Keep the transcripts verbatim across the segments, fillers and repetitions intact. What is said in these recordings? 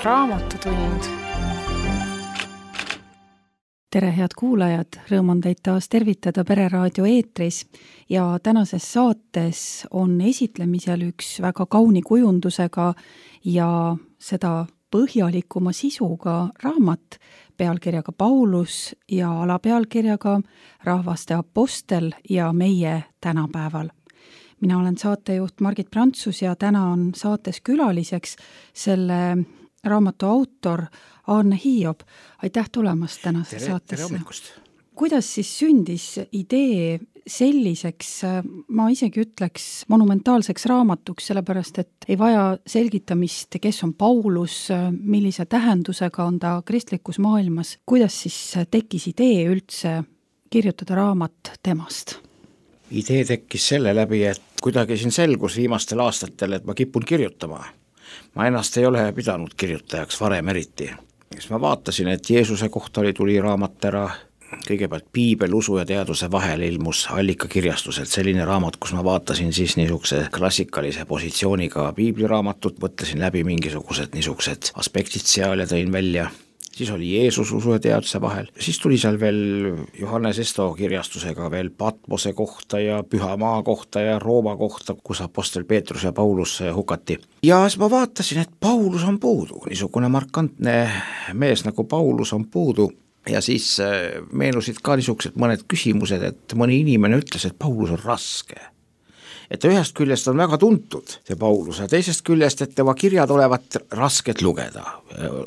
Raamatutund. Tere, head kuulajad! Rõõm on teid taas tervitada Pereraadio eetris ja tänases saates on esitlemisel üks väga kauni kujundusega ja seda põhjalikuma sisuga raamat pealkirjaga Paulus ja alapealkirjaga Rahvaste apostel ja meie tänapäeval. Mina olen saatejuht Margit Prantsus ja täna on saates külaliseks selle raamatu autor Aarne Hiiob. Aitäh tulemast tänase tere, saatesse. Tere hommikust. Kuidas siis sündis idee selliseks, ma isegi ütleks monumentaalseks raamatuks, sellepärast et ei vaja selgitamist, kes on Paulus, millise tähendusega on ta kristlikus maailmas. Kuidas siis tekkis idee üldse kirjutada raamat temast? Idee tekkis selle läbi, et kuidagi siin selgus viimastel aastatel, et ma kipun kirjutama. Ma ennast ei ole pidanud kirjutajaks varem eriti. Siis ma vaatasin, et Jeesuse kohta oli tuli raamat ära, kõigepealt Piibel, usu ja teaduse vahel ilmus allikakirjastuselt selline raamat, kus ma vaatasin siis niisuguse klassikalise positsiooniga piibliraamatut, võtlesin läbi mingisugused niisugused aspektid seal ja tõin välja. Siis oli Jeesus usu ja teaduse vahel. Siis tuli seal veel Johannes Esto kirjastusega veel Patmose kohta ja Pühamaa kohta ja Rooma kohta, kus apostel Peetrus ja Paulus hukati. Ja siis ma vaatasin, et Paulus on puudu. Niisugune markantne mees nagu Paulus on puudu. Ja siis meenusid ka niisugused mõned küsimused, et mõni inimene ütles, et Paulus on raske. Et ühest küljest on väga tuntud see Paulus, ja teisest küljest, et tema kirjad olevat rasket lugeda.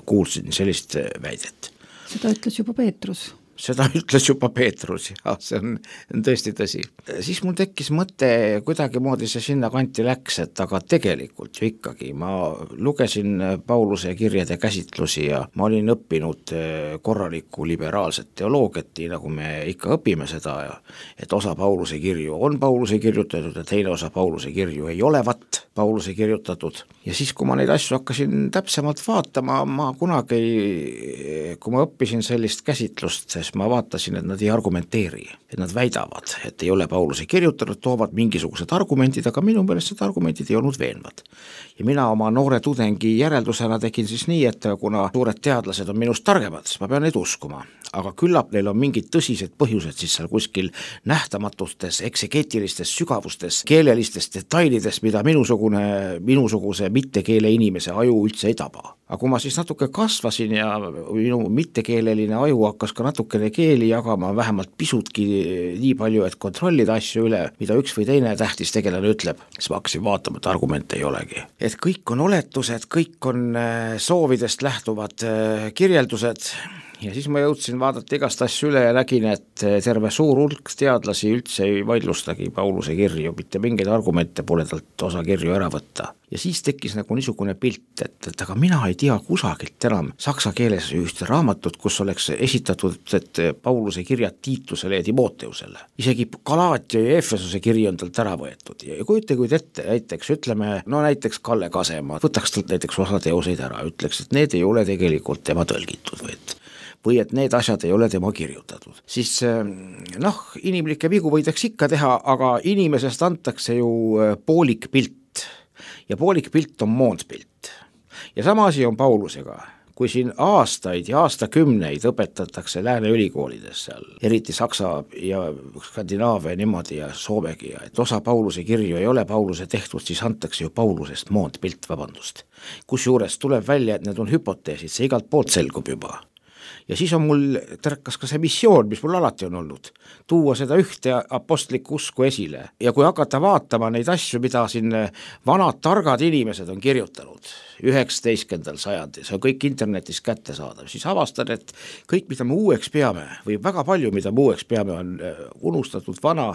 Kuulsin sellist väidet. Seda ütles juba Peetrus. Seda ütles juba Peetrus, ja see on, on tõesti tõsi. Siis mul tekkis mõte, kuidagi moodi see sinna kanti läks, et aga tegelikult ju ikkagi ma lugesin Pauluse kirjade käsitlusi ja ma olin õppinud korralikku liberaalset teoloogiat, nii nagu me ikka õpime seda, et osa Pauluse kirju on Pauluse kirjutatud ja teine osa Pauluse kirju ei olevat Pauluse kirjutatud. Ja siis, kui ma neid asju hakkasin täpsemalt vaatama, ma kunagi, kui ma õppisin sellist käsitlust, ma vaatasin, et nad ei argumenteeri, et nad väidavad, et ei ole Pauluse kirjutanud, toovad mingisugused argumentid, aga minu meelest need argumentid ei olnud veenvad. Ja mina oma noore tudengi järeldusena tegin siis nii, et kuna suured teadlased on minust targemad, siis ma pean neid uskuma. Aga küllap neil on mingid tõsised põhjused siis seal kuskil nähtamatutes, eksegeetilistes sügavustes, keelelistes detailides, mida minusugune, minusuguse mittekeele inimese aju üldse ei taba. Aga kui ma siis natuke kasvasin ja minu mittekeeleline aju hakkas ka natukene keeli jagama, vähemalt pisutki nii palju, et kontrollida asju üle, mida üks või teine tähtis tegelane ütleb, siis ma hakkasin vaatama, et argumente ei olegi. Et kõik on oletused, kõik on soovidest lähtuvad kirjeldused. Ja siis ma jõudsin vaadata igast asju üle ja nägin, et terve suur hulk teadlasi üldse ei vaidlustagi Pauluse kirju, mitte mingeid argumente pole talt osa kirju ära võtta. Ja siis tekkis nagu niisugune pilt, et, et aga mina ei tea kusagilt enam saksa keeles ühte raamatut, kus oleks esitatud, et Pauluse kirjad Tiitusele ja Timoteusele. Isegi Galaatia ja Efesuse kiri on talt ära võetud. Ja kujutage kuid ette, näiteks ütleme, no näiteks Kalle Kasemaa, võtaks talt näiteks osa teoseid ära, ütleks, et need ei ole tegelikult tema tõlgitud või et või et need asjad ei ole tema kirjutatud. Siis noh, inimlikke vigu võidaks ikka teha, aga inimesest antakse ju poolik pilt ja poolik pilt on moondpilt. Ja sama asi on Paulusega. Kui siin aastaid ja aastakümneid õpetatakse lääne ülikoolides seal, eriti Saksa ja Skandinaavia niimoodi ja Soomegi, et osa Pauluse kirju ei ole Pauluse tehtud, siis antakse ju Paulusest moondpilt, vabandust. Kusjuures tuleb välja, et need on hüpoteesid, see igalt poolt selgub juba. Ja siis on mul tärkas ka see missioon, mis mul alati on olnud, tuua seda ühte apostlikku usku esile. Ja kui hakata vaatama neid asju, mida siin vanad targad inimesed on kirjutanud üheksateistkümnendal sajandil, see on kõik internetis kätte saadav, siis avastan, et kõik, mida me uueks peame, või väga palju, mida me uueks peame, on unustatud vana,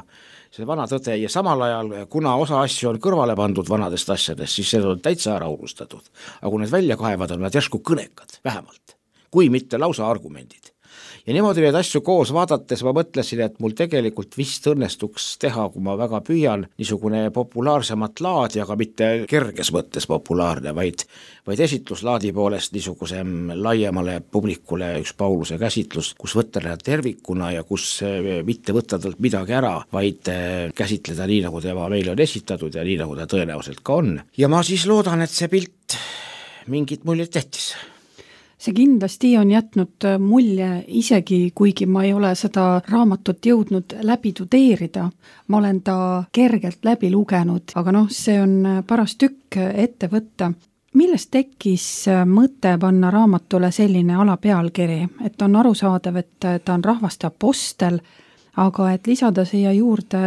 see vana tõde, ja samal ajal, kuna osa asju on kõrvale pandud vanadest asjadest, siis see on täitsa ära unustatud. Aga kui need välja kaevad, on nad järsku kõnekad, vähemalt, kui mitte lausa argumendid. Ja niimoodi neid asju koos vaadates ma mõtlesin, et mul tegelikult vist õnnestuks teha, kui ma väga püüan, niisugune populaarsemat laadi, aga mitte kerges mõttes populaarne, vaid, vaid esitluslaadi poolest niisugusem laiemale publikule üks Pauluse käsitlus, kus võtta tervikuna ja kus mitte võtta talt midagi ära, vaid käsitleda nii, nagu tema meile on esitatud ja nii, nagu ta tõenäoliselt ka on. Ja ma siis loodan, et see pilt mingit muljet tehtis. see kindlasti on jätnud mulje, isegi kuigi ma ei ole seda raamatut jõudnud läbi tudeerida. Ma olen ta kergelt läbi lugenud, aga noh, see on paras tükk ette võtta. Millest tekkis mõte panna raamatule selline alapealkiri, et on arusaadav, et ta on rahvaste apostel, aga et lisada siia juurde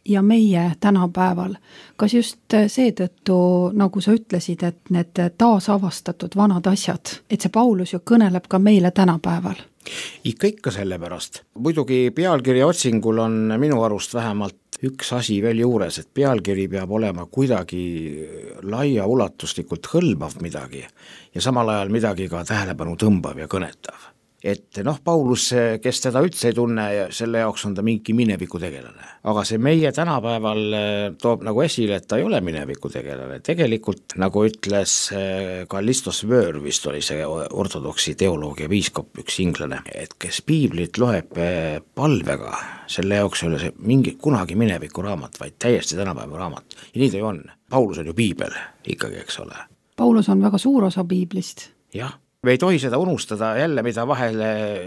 ja meie tänapäeval. Kas just seetõttu, nagu sa ütlesid, et need taasavastatud vanad asjad, et see Paulus ju kõneleb ka meile tänapäeval? Ikka ikka sellepärast. Muidugi pealkirja otsingul on minu arust vähemalt üks asi veel juures, et pealkiri peab olema kuidagi laia ulatuslikult hõlmav midagi ja samal ajal midagi ka tähelepanu tõmbav ja kõnetav. Et noh, Paulus, kes teda üldse ei tunne, selle jaoks on ta mingi mineviku tegelane. Aga see meie tänapäeval toob nagu esile, et ta ei ole mineviku tegelane. Tegelikult, nagu ütles Kallistos Vöör, vist oli see ortodoksi teoloog ja piiskop, üks inglane, et kes piiblit loeb palvega, selle jaoks ei ole see mingi kunagi mineviku raamat, vaid täiesti tänapäeva raamat. Ja nii ta ju on. Paulus on ju piibel ikkagi, eks ole. Paulus on väga suur osa piiblist. Jah. Me ei tohi seda unustada jälle, mida vahel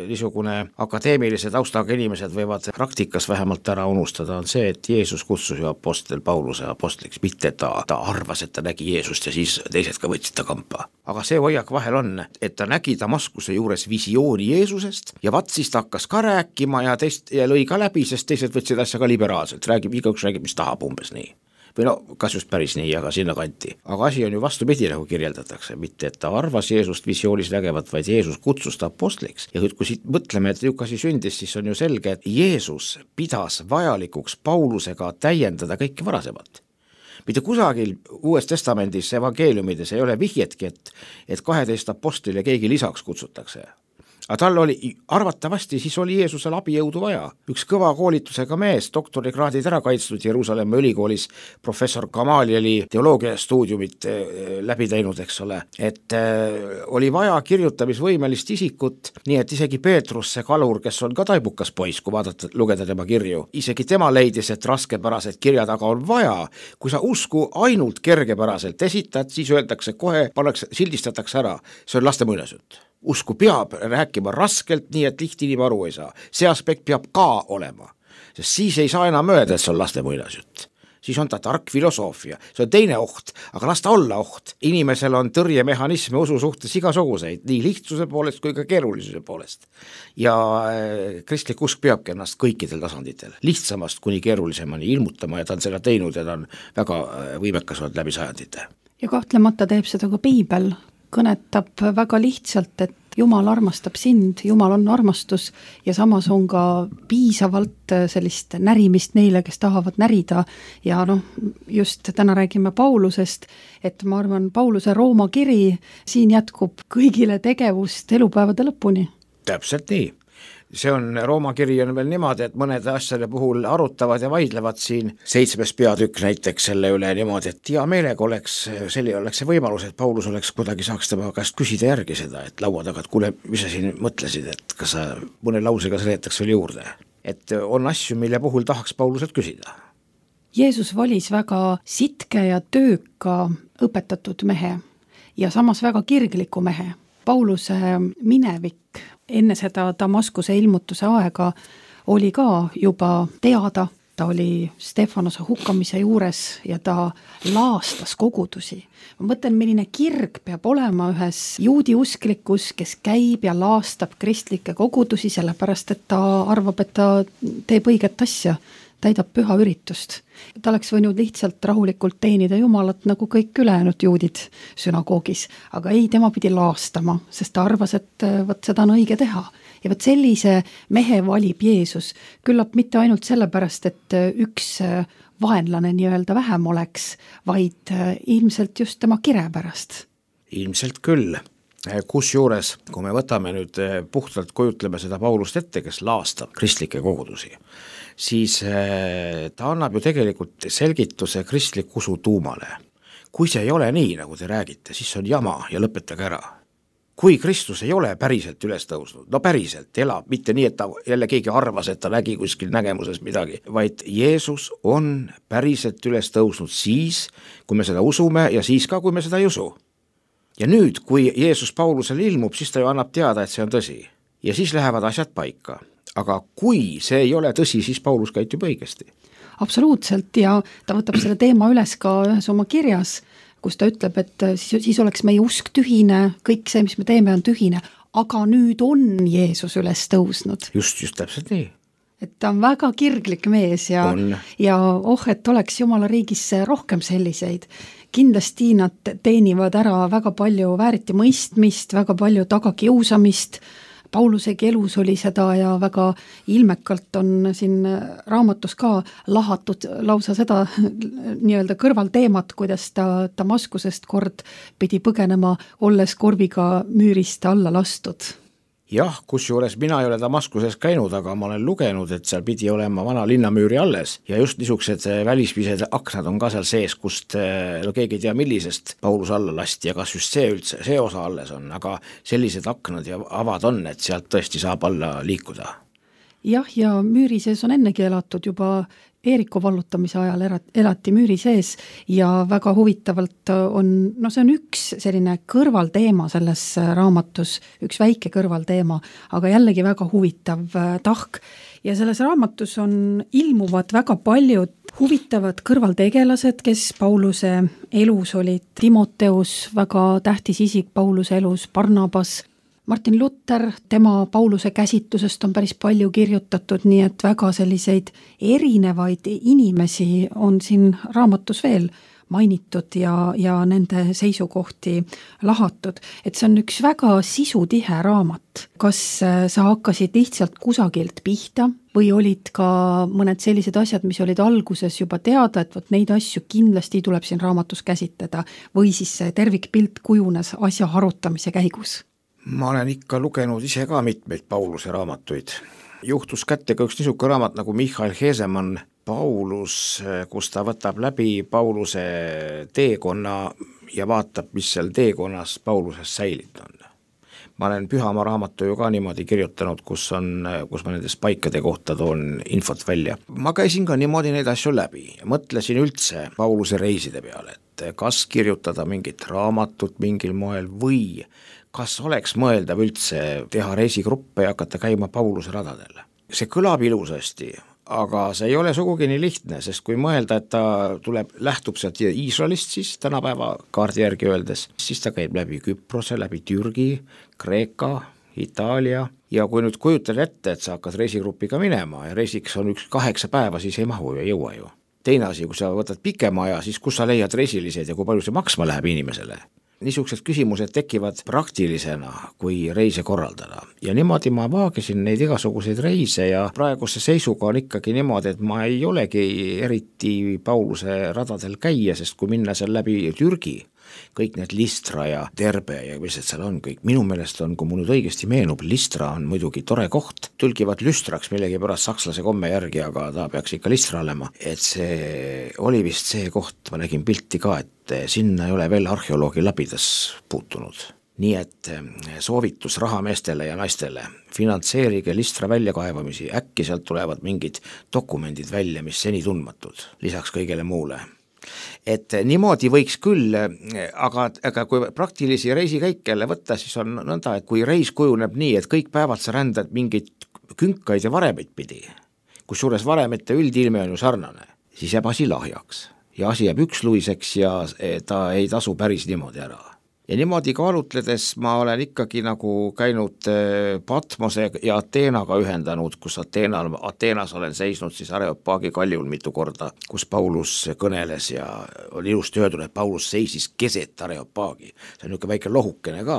niisugune akadeemilise taustaga inimesed võivad praktikas vähemalt ära unustada, on see, et Jeesus kutsus ju apostel Pauluse apostliks, mitte ta, ta arvas, et ta nägi Jeesust ja siis teised ka võtsid ta kampa. Aga see hoiak vahel on, et ta nägi Damaskuse juures visiooni Jeesusest ja vat siis ta hakkas ka rääkima ja, teist, ja lõi ka läbi, sest teised võtsid asja ka liberaalselt, räägib, igaüks räägib, mis tahab umbes nii. Või no, kas just päris nii, aga sinna kanti. Aga asi on ju vastupidi, nagu kirjeldatakse, mitte et ta arvas Jeesust visioonis nägevat, vaid Jeesus kutsus ta apostliks. Ja kui siit mõtleme, et niisugune asi sündis, siis on ju selge, et Jeesus pidas vajalikuks Paulusega täiendada kõike varasemat. Mitte kusagil Uues Testamendis, evangeeliumides ei ole vihjetki, et, et kaheteist apostile keegi lisaks kutsutakse. Aga tal oli, arvatavasti siis oli Jeesusel abijõudu vaja. Üks kõva koolitusega mees, doktorikraadid ära kaitstud Jeruusalemma ülikoolis, professor Gamalieli teoloogia stuudiumit läbi teinud, eks ole, et äh, oli vaja kirjutamisvõimelist isikut, nii et isegi Peetrus, see kalur, kes on ka taibukas poiss, kui vaadata, lugeda tema kirju, isegi tema leidis, et raskepärased kirjad aga on vaja. Kui sa usku ainult kergepäraselt esitad, siis öeldakse kohe, pannakse, sildistatakse ära, see on laste muinasjutt. Usku peab rääkima raskelt, nii et liht inimene aru ei saa. See aspekt peab ka olema, sest siis ei saa enam öelda, et see on laste muinasjutt. Siis on ta tark filosoofia, see on teine oht, aga las ta olla oht. Inimesel on tõrjemehhanisme usu suhtes igasuguseid, nii lihtsuse poolest kui ka keerulisuse poolest. Ja kristlik usk peabki ennast kõikidel tasanditel, lihtsamast kuni keerulisemani ilmutama ja ta on seda teinud ja ta on väga võimekas olnud läbi sajandite. Ja kahtlemata teeb seda ka piibel. Kõnetab väga lihtsalt, et Jumal armastab sind, Jumal on armastus ja samas on ka piisavalt sellist närimist neile, kes tahavad närida ja noh, just täna räägime Paulusest, et ma arvan, Pauluse Rooma kiri siin jätkub kõigile tegevust elupäevade lõpuni. Täpselt nii. See on, Rooma kiri on veel niimoodi, et mõned asjade puhul arutavad ja vaidlevad siin seitsmes peatükk näiteks selle üle niimoodi, et hea meelega oleks, selline oleks see võimalus, et Paulus oleks kuidagi saaks tema käest küsida järgi seda, et laua taga, et kuule, mis sa siin mõtlesid, et kas sa mõne lausega seletaks veel juurde. Et on asju, mille puhul tahaks Pauluselt küsida. Jeesus valis väga sitke ja tööka õpetatud mehe ja samas väga kirgliku mehe. Pauluse minevik enne seda Damaskuse ilmutuse aega oli ka juba teada, ta oli Stefanose hukkamise juures ja ta laastas kogudusi. Ma mõtlen, milline kirg peab olema ühes juudi usklikus, kes käib ja laastab kristlikke kogudusi, sellepärast et ta arvab, et ta teeb õiget asja, täidab püha üritust. Ta oleks võinud lihtsalt rahulikult teenida Jumalat nagu kõik ülejäänud juudid sünagoogis, aga ei, tema pidi laastama, sest ta arvas, et võt seda on õige teha. Ja võt sellise mehe valib Jeesus, küllap mitte ainult sellepärast, et üks vaenlane nii-öelda vähem oleks, vaid ilmselt just tema kire pärast. Ilmselt küll. Kus juures, kui me võtame nüüd puhtalt kujutleme seda Paulust ette, kes laastab kristlikke kogudusi, siis ta annab ju tegelikult selgituse kristlik usu tuumale. Kui see ei ole nii, nagu te räägite, siis on jama ja lõpetage ära. Kui Kristus ei ole päriselt üles tõusnud, no päriselt elab, mitte nii, et ta jälle keegi arvas, et ta nägi kuskil nägemuses midagi, vaid Jeesus on päriselt üles tõusnud siis, kui me seda usume ja siis ka, kui me seda ei usu. ja nüüd, kui Jeesus Paulusele ilmub, siis ta ju annab teada, et see on tõsi. Ja siis lähevad asjad paika. Aga kui see ei ole tõsi, siis Paulus käitub õigesti. Absoluutselt, ja ta võtab selle teema üles ka ühes oma kirjas, kus ta ütleb, et siis, siis oleks meie usk tühine, kõik see, mis me teeme, on tühine, aga nüüd on Jeesus üles tõusnud. Just, just täpselt nii. Et ta on väga kirglik mees ja, ja oh, et oleks Jumala riigis rohkem selliseid. Kindlasti nad teenivad ära väga palju vääriti mõistmist, väga palju tagakiusamist. Paulusegi elus oli seda ja väga ilmekalt on siin raamatus ka lahatud lausa seda nii-öelda kõrvalteemat, kuidas ta Damaskusest kord pidi põgenema, olles korviga müürist alla lastud. Jah, kusjuures mina ei ole Damaskuses käinud, aga ma olen lugenud, et seal pidi olema vana linnamüüri alles ja just niisugused välispised aknad on ka seal sees, kust no keegi ei tea millisest Paulus alla lasti ja kas just see üldse, see osa alles on, aga sellised aknad ja avad on, et sealt tõesti saab alla liikuda. Jah, ja müüri sees on ennegi elatud juba Eeriko vallutamise ajal elati müüri sees ja väga huvitavalt on, no see on üks selline kõrvalteema selles raamatus, üks väike kõrvalteema, aga jällegi väga huvitav tahk. Ja selles raamatus on ilmuvad väga paljud huvitavad kõrvaltegelased, kes Pauluse elus olid. Timoteus, väga tähtis isik Pauluse elus, Barnabas, Martin Luther, tema Pauluse käsitlusest on päris palju kirjutatud, nii et väga selliseid erinevaid inimesi on siin raamatus veel mainitud ja, ja nende seisukohti lahatud. Et see on üks väga sisutihe raamat. Kas sa hakkasid lihtsalt kusagilt pihta või olid ka mõned sellised asjad, mis olid alguses juba teada, et võt neid asju kindlasti tuleb siin raamatus käsitleda või siis see tervikpilt kujunes asja arutamise käigus? Ma olen ikka lugenud ise ka mitmeid Pauluse raamatuid. Juhtus kätte ka üks niisugune raamat nagu Michael Hesemann Paulus, kus ta võtab läbi Pauluse teekonna ja vaatab, mis seal teekonnas Paulusest säilinud on. Ma olen Pühamaa raamatu ju ka niimoodi kirjutanud, kus, on, kus ma nendes paikade kohta toon infot välja. Ma käisin ka niimoodi neid asju läbi ja mõtlesin üldse Pauluse reiside peale, et kas kirjutada mingit raamatut mingil moel või kas oleks mõeldav üldse teha reisigruppe ja hakata käima Pauluse radadel. See kõlab ilusasti, aga see ei ole sugugi nii lihtne, sest kui mõelda, et ta tuleb, lähtub sealt Iisraelist siis tänapäeva kaardi järgi öeldes, siis ta käib läbi Küprose, läbi Türgi, Kreeka, Itaalia ja kui nüüd kujutad ette, et sa hakkad reisigrupiga minema ja reisiks on üks kaheksa päeva, siis ei mahu ja jõua ju. Teine asi, kui sa võtad pikema aja, siis kus sa leiad reisilised ja kui palju see maksma läheb inimesele? Niisugused küsimused tekivad praktilisena, kui reise korraldada. Ja niimoodi ma vaagisin neid igasuguseid reise ja praeguse seisuga on ikkagi niimoodi, et ma ei olegi eriti Pauluse radadel käia, sest kui minna seal läbi Türgi, kõik need Listra ja Terbe ja mis et seal on kõik. Minu meelest on, kui mul nüüd õigesti meenub, Listra on muidugi tore koht, tõlgivad Lüstraks millegi pärast sakslase komme järgi, aga ta peaks ikka Listra olema. Et see oli vist see koht, ma nägin pilti ka, et sinna ei ole veel arheoloogi labidas puutunud. Nii et soovitus rahameestele ja naistele, finantseerige Listra väljakaevamisi, äkki sealt tulevad mingid dokumendid välja, mis seni tundmatud, lisaks kõigele muule. Et niimoodi võiks küll, aga, aga kui praktilisi reisikäike jälle võtta, siis on nõnda, et kui reis kujuneb nii, et kõik päevad sa rändad mingid künkaid ja varemeid pidi, kusjuures varemete üldilme on ju sarnane, siis jääb asi lahjaks ja asi jääb üksluiseks ja ta ei tasu päris niimoodi ära. Ja niimoodi kaalutledes ma olen ikkagi nagu käinud Patmose ja Ateenaga ühendanud, kus Ateenal, Ateenas olen seisnud siis Areopaagi kaljul mitu korda, kus Paulus kõneles ja oli ilusti öeldud, et Paulus seisis keset Areopaagi. See on niisugune väike lohukene ka.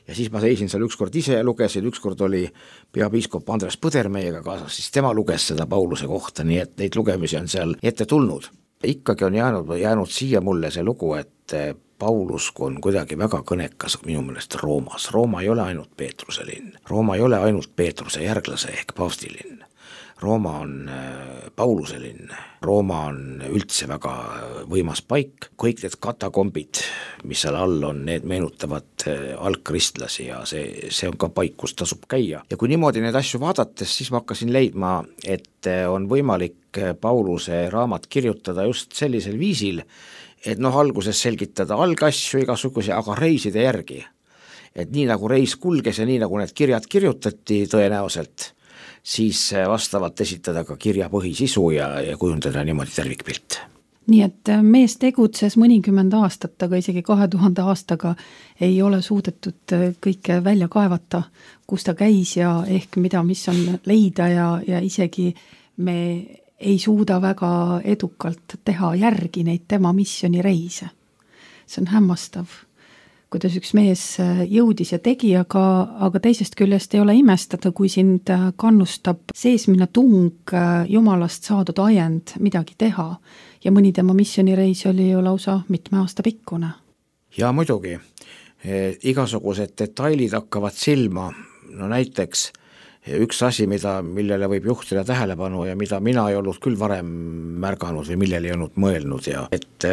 Ja siis ma seisin seal ükskord ise ja lugesin, ükskord oli peapiiskop Andres Põder meiega kaasas, siis tema luges seda Pauluse kohta, nii et neid lugemisi on seal ette tulnud. Ikkagi on jäänud, jäänud siia mulle see lugu, et Paulus on kuidagi väga kõnekas minu meelest Roomas. Rooma ei ole ainult Peetruse linn. Rooma ei ole ainult Peetruse järglase ehk paavsti linn. Rooma on Pauluse linn. Rooma on üldse väga võimas paik. Kõik need katakombid, mis seal all on, need meenutavad algkristlasi ja see, see on ka paik, kus tasub käia. Ja kui niimoodi neid asju vaadates, siis ma hakkasin leidma, et on võimalik Pauluse raamat kirjutada just sellisel viisil, et noh, alguses selgitada algasju igasuguse, aga reiside järgi. Et nii nagu reis kulges ja nii nagu need kirjad kirjutati tõenäoliselt, siis vastavalt esitada ka kirja põhisisu ja, ja kujundada niimoodi tervikpilt. Nii et mees tegutses mõnikümmend aastat, aga isegi kahe tuhande aastaga ei ole suudetud kõike välja kaevata, kus ta käis ja ehk mida, mis on leida ja, ja isegi me ei suuda väga edukalt teha järgi neid tema missionireise. See on hämmastav, kuidas üks mees jõudis ja tegi, aga, aga teisest küljest ei ole imestada, kui sind kannustab seesmine tung Jumalast saadud ajend midagi teha. Ja mõni tema missionireis oli ju lausa mitme aasta pikkune. Ja muidugi, e, igasugused detailid hakkavad silma, no näiteks üks asi, mida, millele võib juhtida tähelepanu ja mida mina ei olnud küll varem märganud või millele ei olnud mõelnud ja et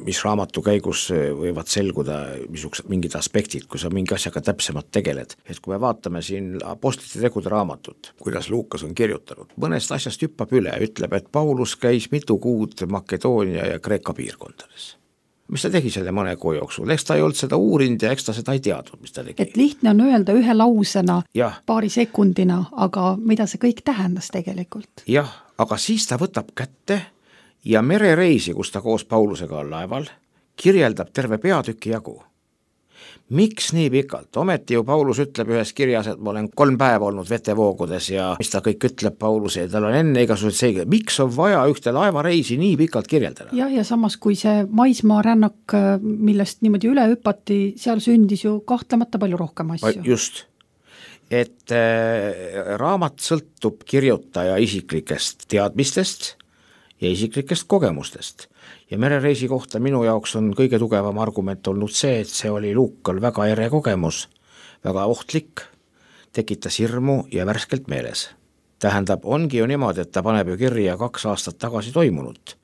mis raamatu käigus võivad selguda misugused mingid aspektid, kui sa mingi asjaga täpsemalt tegeled. Et kui me vaatame siin apostlite tegude raamatut, kuidas Luukas on kirjutanud, mõnest asjast hüppab üle, ütleb, et Paulus käis mitu kuud Makedoonia ja Kreeka piirkondades. Mis ta tegi selle mõne kuu jooksul? Eks ta ei olnud seda uurinud ja eks ta seda ei teadnud, mis ta tegi. Et lihtne on öelda ühe lausena, jah. Paari sekundina, aga mida see kõik tähendas tegelikult? Jah, aga siis ta võtab kätte ja merereisi, kus ta koos Paulusega on laeval, kirjeldab terve peatüki jagu. Miks nii pikalt? Ometi ju Paulus ütleb ühes kirjas, et ma olen kolm päeva olnud vetevoogudes ja mis ta kõik ütleb Paulus ja tal on enne igasugused seegi. Miks on vaja ühte laevareisi nii pikalt kirjeldada? Jah, ja samas kui see maismaa rännak, millest niimoodi üle hüppati, seal sündis ju kahtlemata palju rohkem asju. Just, et äh, raamat sõltub kirjutaja isiklikest teadmistest ja isiklikest kogemustest. Ja merereisi kohta minu jaoks on kõige tugevam argument olnud see, et see oli Luukal väga ere kogemus, väga ohtlik, tekitas hirmu ja värskelt meeles. Tähendab, ongi ju niimoodi, et ta paneb ju kirja kaks aastat tagasi toimunut.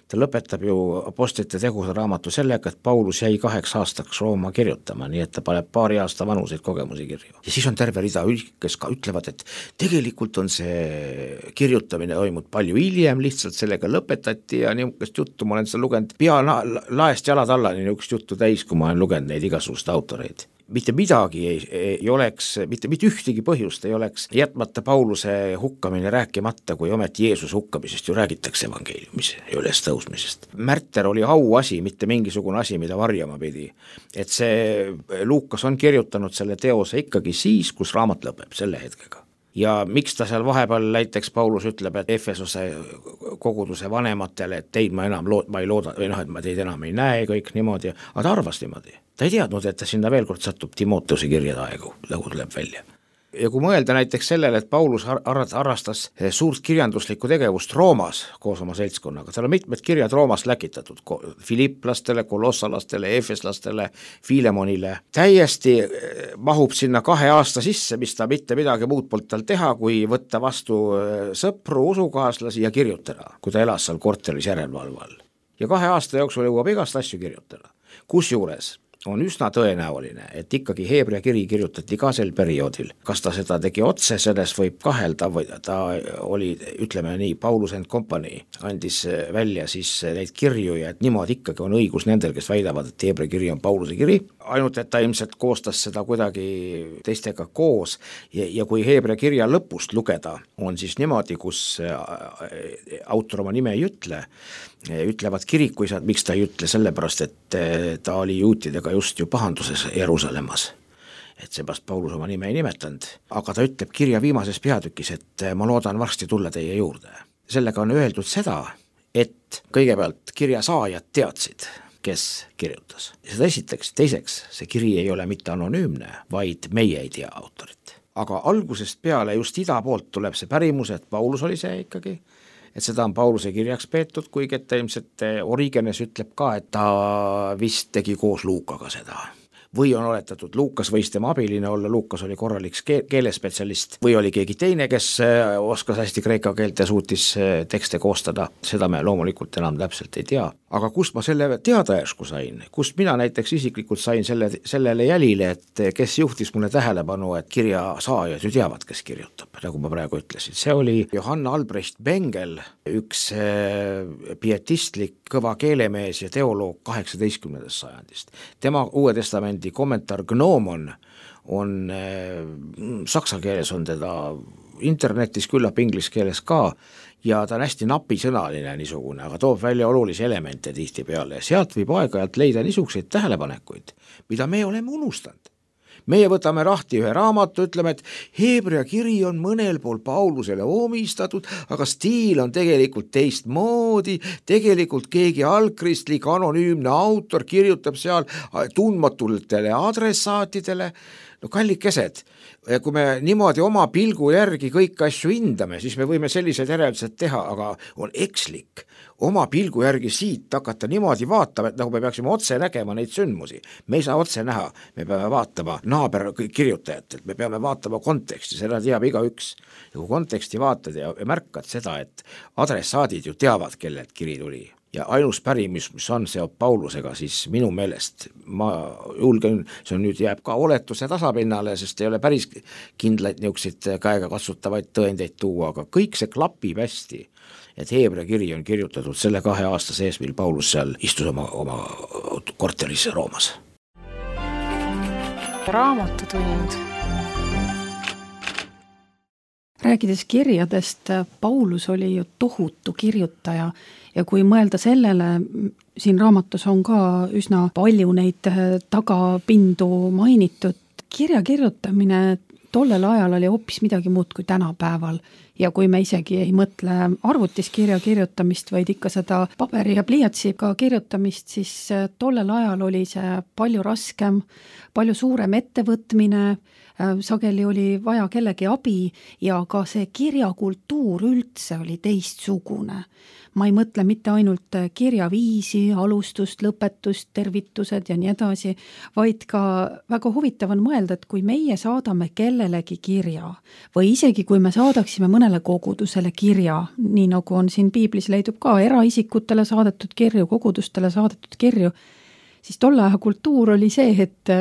Ta lõpetab ju apostlite tegude raamatu sellega, et Paulus jäi kaheks aastaks Rooma kirjutama, nii et ta paneb paari aasta vanuseid kogemusi kirju. Ja siis on terve rida, kes ka ütlevad, et tegelikult on see kirjutamine toimud palju hiljem, lihtsalt sellega lõpetati ja niisugust juttu ma olen seda lugenud pea laest jalad alla, niisugust juttu täis, kui ma olen lugenud neid igasugust autoreid. Mitte midagi ei, ei oleks, mitte, mitte ühtegi põhjust ei oleks jätmata Pauluse hukkamine rääkimata, kui ometi Jeesuse hukkamisest ju räägitakse evangeeliumis ja üles tõusmisest. Märter oli auasi, mitte mingisugune asi, mida varjama pidi. Et see Luukas on kirjutanud selle teose ikkagi siis, kus raamat lõpeb selle hetkega. Ja miks ta seal vahepeal näiteks Paulus ütleb, et Efesose koguduse vanematele, et teid ma enam lood, ma ei looda, või noh, et ma teid enam ei näe kõik niimoodi, aga ta arvas niimoodi. Ta ei teadnud, et ta sinna veel kord satub Timoteuse kirjade aegu, nagu tuleb välja. Ja kui mõelda näiteks sellele, et Paulus arrastas suurt kirjanduslikku tegevust Roomas koos oma seltskonnaga, tal on mitmed kirjad Roomas läkitatud, Filipplastele, kolossalastele, efeslastele, Filemonile, täiesti mahub sinna kahe aasta sisse, mis ta mitte midagi muud poolt tal teha, kui võtta vastu sõpru, usukaaslasi ja kirjutada, kui ta elas seal korteris järelevalval. Ja kahe aasta jooksul jõuab igast asju kirjutada, kusjuures on üsna tõenäoline, et ikkagi Heebrea kiri kirjutati ka sel perioodil. Kas ta seda tegi otse, selles võib kahelda või ta oli, ütleme nii, Paulus and Company andis välja siis neid kirju ja et niimoodi ikkagi on õigus nendel, kes väidavad, et Heebrea kiri on Pauluse kiri. Ainult, et ta ilmselt koostas seda kuidagi teistega koos ja, ja kui Heebrea kirja lõpust lugeda, on siis niimoodi, kus autor oma nime ei ütle, ütlevad kirikuisad, miks ta ei ütle, sellepärast, et ta oli juutidega just ju pahanduses Jeruusalemmas. Et seepärast Paulus oma nime ei nimetanud, aga ta ütleb kirja viimases peatükis, et ma loodan varsti tulla teie juurde. Sellega on öeldud seda, et kõigepealt kirja saajad teadsid, kes kirjutas. Seda esiteks, teiseks, see kiri ei ole mitte anonüümne, vaid meie ei tea autorit. Aga algusest peale just ida poolt tuleb see pärimus, et Paulus oli see ikkagi, et seda on Pauluse kirjaks peetud, kuigi et ilmselt Origenes ütleb ka, et ta vist tegi koos Luukaga seda. või on oletatud, Luukas võis tema abiline olla, Luukas oli korralik keelespetsialist või oli keegi teine, kes oskas hästi kreeka keelt ja suutis tekste koostada, seda me loomulikult enam täpselt ei tea. Aga kust ma selle teada järsku sain, kust mina näiteks isiklikult sain selle, sellele jälile, et kes juhtis mulle tähelepanu, et kirja saajad ju teavad, kes kirjutab, nagu ma praegu ütlesin. See oli Johann Albrecht Bengel, üks pietistlik kõva keelemees ja teoloog kaheksateistkümnendast sajandist. Tema Uue Testamendi kommentaar Gnomon on saksa keeles, on teda internetis, küllap inglise keeles ka, ja ta on hästi napisõnaline niisugune, aga toob välja olulisi elemente tihti peale ja sealt võib aeg-ajalt leida niisuguseid tähelepanekuid, mida me oleme unustanud. Meie võtame rahti ühe raamatu, ütleme, et Heebrea kiri on mõnel pool Paulusele omistatud, aga stiil on tegelikult teistmoodi, tegelikult keegi algkristlik anonüümne autor kirjutab seal tundmatutele adressaatidele. No kallikesed, kui me niimoodi oma pilgu järgi kõik asju hindame, siis me võime sellised järeldused teha, aga on ekslik oma pilgu järgi siit hakata niimoodi vaatama, et nagu me peaksime otse nägema neid sündmusi. Me ei saa otse näha, me peame vaatama naaber kirjutajat, et me peame vaatama konteksti, seda teab igaüks. Ja kui konteksti vaatad ja märkad seda, et adressaadid ju teavad, kellelt kiri tuli. Ja ainus pärimus, mis on seob Paulusega, siis minu meelest, ma julgen, see on nüüd jääb ka oletuse tasapinnale, sest ei ole päris kindlaid niukseid käega katsutavaid tõendeid tuua, aga kõik see klapib hästi, et Heebrea kiri on kirjutatud selle kahe aasta sees, mil Paulus seal istus oma, oma korteris Roomas. Raamatutund. Rääkides kirjadest, Paulus oli ju tohutu kirjutaja ja kui mõelda sellele, siin raamatus on ka üsna palju neid tagapindu mainitud, kirja kirjutamine tollel ajal oli hoopis midagi muud kui tänapäeval ja kui me isegi ei mõtle arvutis kirja kirjutamist, vaid ikka seda paberi ja pliiatsiga kirjutamist, siis tollel ajal oli see palju raskem, palju suurem ettevõtmine, sageli oli vaja kellegi abi ja ka see kirjakultuur üldse oli teistsugune. Ma ei mõtle mitte ainult kirjaviisi, alustust, lõpetust, tervitused ja nii edasi, vaid ka väga huvitav on mõelda, et kui meie saadame kellelegi kirja või isegi kui me saadaksime mõnele kogudusele kirja, nii nagu on siin piiblis leidub ka eraisikutele saadetud kirju, kogudustele saadetud kirju, siis tolle aja kultuur oli see, et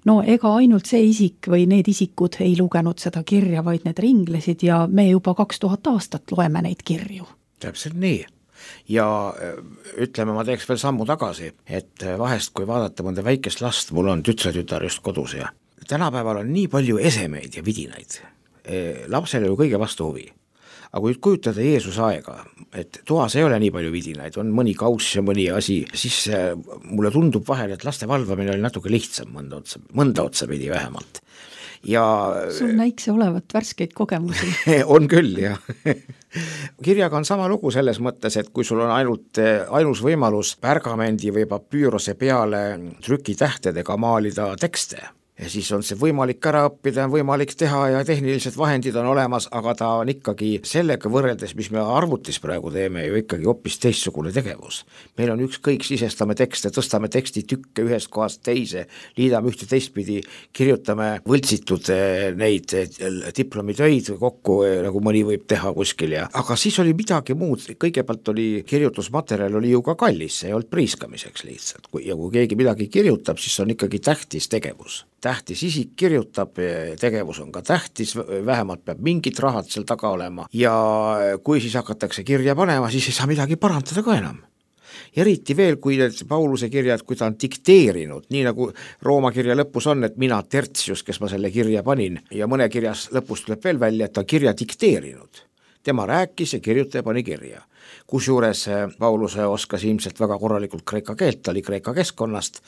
no ega ainult see isik või need isikud ei lugenud seda kirja, vaid need ringlesid ja me juba kaks tuhat aastat loeme neid kirju. Täpselt nii. Ja ütleme, ma teeks veel sammu tagasi, et vahest kui vaadata mõnda väikest last, mul on tütretütar just kodus ja tänapäeval on nii palju esemeid ja vidinaid. Lapsele ju kõige vastu huvi. Aga kui kujutada Jeesuse aega, et toas ei ole nii palju vidinaid, on mõni kauss ja mõni asi, siis mulle tundub vahel, et laste valvamine oli natuke lihtsam mõnda otsa, mõnda otsa pidi vähemalt. Ja sul näikse olevat värskeid kogemusi. On küll, jah. Kirjaga on sama lugu selles mõttes, et kui sul on ainult ainus võimalus pärgamendi või papüürose peale trükitähtedega maalida tekste, ja siis on see võimalik ära õppida, on võimalik teha ja tehnilised vahendid on olemas, aga ta on ikkagi sellega võrreldes, mis me arvutis praegu teeme, ju ikkagi hoopis teistsugune tegevus. Meil on ükskõik, sisestame tekste, tõstame teksti tükke ühest kohast teise, liidame ühte teistpidi, kirjutame võltsitud neid diplomitöid kokku, nagu mõni võib teha kuskil. Ja. Aga siis oli midagi muud, kõigepealt oli kirjutusmaterjal oli ju ka kallis, see ei olnud priiskamiseks lihtsalt. Ja kui keegi midagi kirjutab, siis on ikkagi tähtis tegevus. Tähtis isik kirjutab, tegevus on ka tähtis, vähemalt peab mingid rahad seal taga olema ja kui siis hakatakse kirja panema, siis ei saa midagi parandada ka enam. Eriti veel, kui need Pauluse kirjad, kui ta on dikteerinud, nii nagu Rooma kirja lõpus on, et mina Tertius, kes ma selle kirja panin ja mõne kirjas lõpus tuleb veel välja, et ta kirja dikteerinud. Tema rääkis ja kirjutaja pani kirja. Kusjuures Pauluse oskas ilmselt väga korralikult kreeka keelt, ta oli kreeka keskkonnast,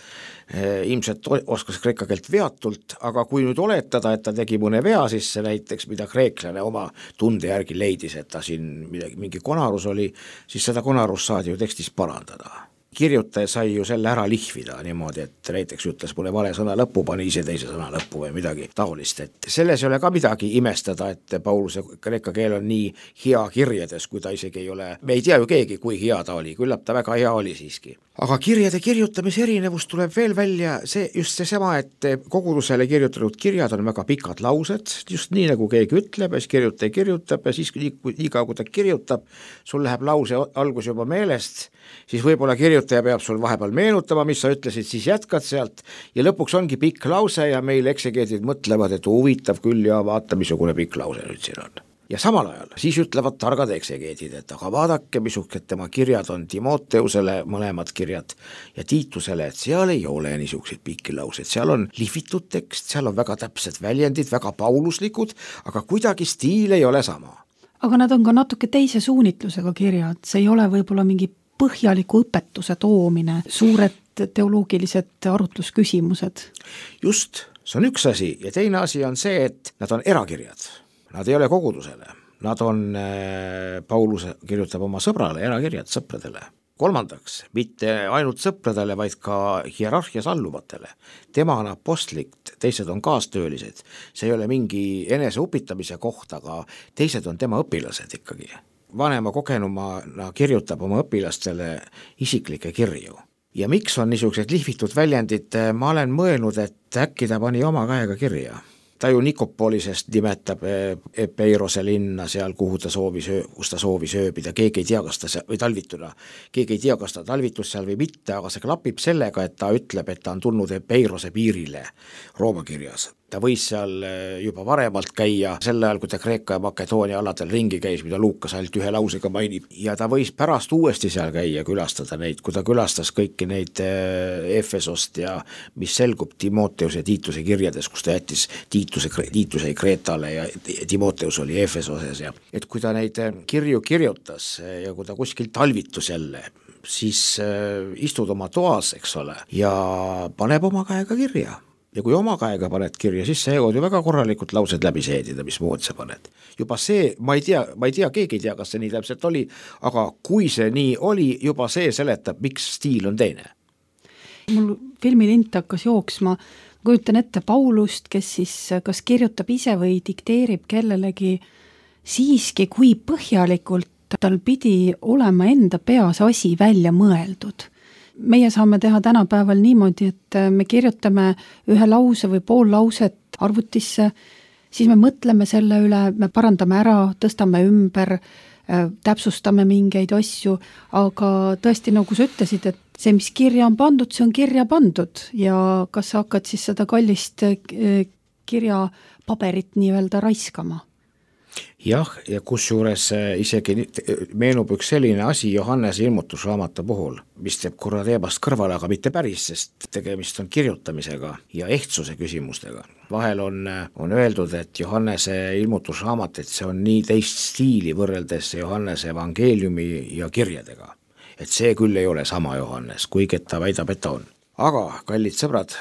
ilmselt oskas kreeka keelt veatult, aga kui nüüd oletada, et ta tegi mõne vea sisse näiteks, mida kreeklane oma tunde järgi leidis, et ta siin midagi, mingi konarus oli, siis seda konarus saadi ju tekstis parandada. Kirjutaja sai ju selle ära lihvida niimoodi, et näiteks ütles mulle vale sõna lõppu, pani ise teise sõna lõppu või midagi taolist, et selles ei ole ka midagi imestada, et Pauluse kreeka keel on nii hea kirjades, kui ta isegi ei ole, me ei tea ju keegi, kui hea ta oli, küllap ta väga hea oli siiski. aga kirjade kirjutamise erinevus tuleb veel välja see, just seesama, et kogudusele kirjutatud kirjad on väga pikad laused, just nii nagu keegi ütleb ja siis kirjutaja kirjutab ja siis nii, nii kaua kui ta kirjutab, sul läheb lause algus juba meelest, siis võib-olla kirjutaja peab sul vahepeal meenutama, mis sa ütlesid, siis jätkad sealt ja lõpuks ongi pikk lause ja meil eksegeedid mõtlevad, et huvitav küll ja vaata, missugune pikk lause nüüd siin on. Ja samal ajal siis ütlevad targad eksegeedid, et aga vaadake, missugused tema kirjad on Timoteusele, mõlemad kirjad ja Tiitusele, et seal ei ole niisugused pikki laused, seal on lihvitud tekst, seal on väga täpsed väljendid, väga pauluslikud, aga kuidagi stiil ei ole sama. Aga nad on ka natuke teise suunitlusega kirjad, see ei ole võib-olla mingi põhjaliku õpetuse toomine, suured teoloogilised arutlusküsimused. Just, see on üks asi ja teine asi on see, et nad on erakirjad. Nad ei ole kogudusele, nad on, Paulus kirjutab oma sõbrale erakirjad sõpradele. Kolmandaks, mitte ainult sõpradele, vaid ka hierarhias alluvatele. Tema on apostlik, teised on kaastöölised, see ei ole mingi enese upitamise koht, aga teised on tema õpilased ikkagi. Vanema kogenumana kirjutab oma õpilastele isiklikke kirju. Ja miks on niisugused lihvitud väljendid, ma olen mõelnud, et äkki ta pani oma käega kirja. Ta ju Nikopolisest nimetab Epeirose linna seal, kuhu ta soovis, kus ta soovis ööbida, keegi ei tea, kas ta või talvituna, keegi ei tea, kas ta talvitus seal või mitte, aga see klapib sellega, et ta ütleb, et ta on tulnud Epeirose piirile Rooma kirjas. Ta võis seal juba varemalt käia, sel ajal, kui ta Kreeka ja Makedoonia aladel ringi käis, mida Luukas ainult ühe lausega mainib, ja ta võis pärast uuesti seal käia, külastada neid, kui ta külastas kõiki neid Efesost ja mis selgub Timoteus ja Tiituse kirjades, kus ta jättis Tiituse, Tiituse Kreetale ja Timoteus oli Efesoses ja et kui ta neid kirju kirjutas ja kui ta kuskil talvitus jälle, siis istud oma toas, eks ole, ja paneb oma käega kirja. Ja kui oma käega paned kirja, siis see jõud ju väga korralikult laused läbi seedida, mis mood sa paned. Juba see, ma ei tea, ma ei tea, keegi ei tea, kas see nii täpselt oli, aga kui see nii oli, juba see seletab, miks stiil on teine. Mul filmilint hakkas jooksma, kujutan ette Paulust, kes siis kas kirjutab ise või dikteerib kellelegi siiski, kui põhjalikult tal pidi olema enda peas asi välja mõeldud. Meie saame teha tänapäeval niimoodi, et me kirjutame ühe lause või pool lauset arvutisse, siis me mõtleme selle üle, me parandame ära, tõstame ümber, täpsustame mingeid asju, aga tõesti, nagu sa ütlesid, et see, mis kirja on pandud, see on kirja pandud ja kas sa hakkad siis seda kallist kirja paberit nii-öelda raiskama? Jah, ja kusjuures isegi meenub üks selline asi Johannese ilmutusraamatu puhul, mis teeb korra teemast kõrvale, aga mitte päris, sest tegemist on kirjutamisega ja ehtsuse küsimustega. Vahel on, on öeldud, et Johannese ilmutusraamat, et see on nii teist stiili võrreldes Johannese evangeeliumi ja kirjadega. Et see küll ei ole sama Johannes, kuigi ta väidab, et ta on. Aga, kallid sõbrad,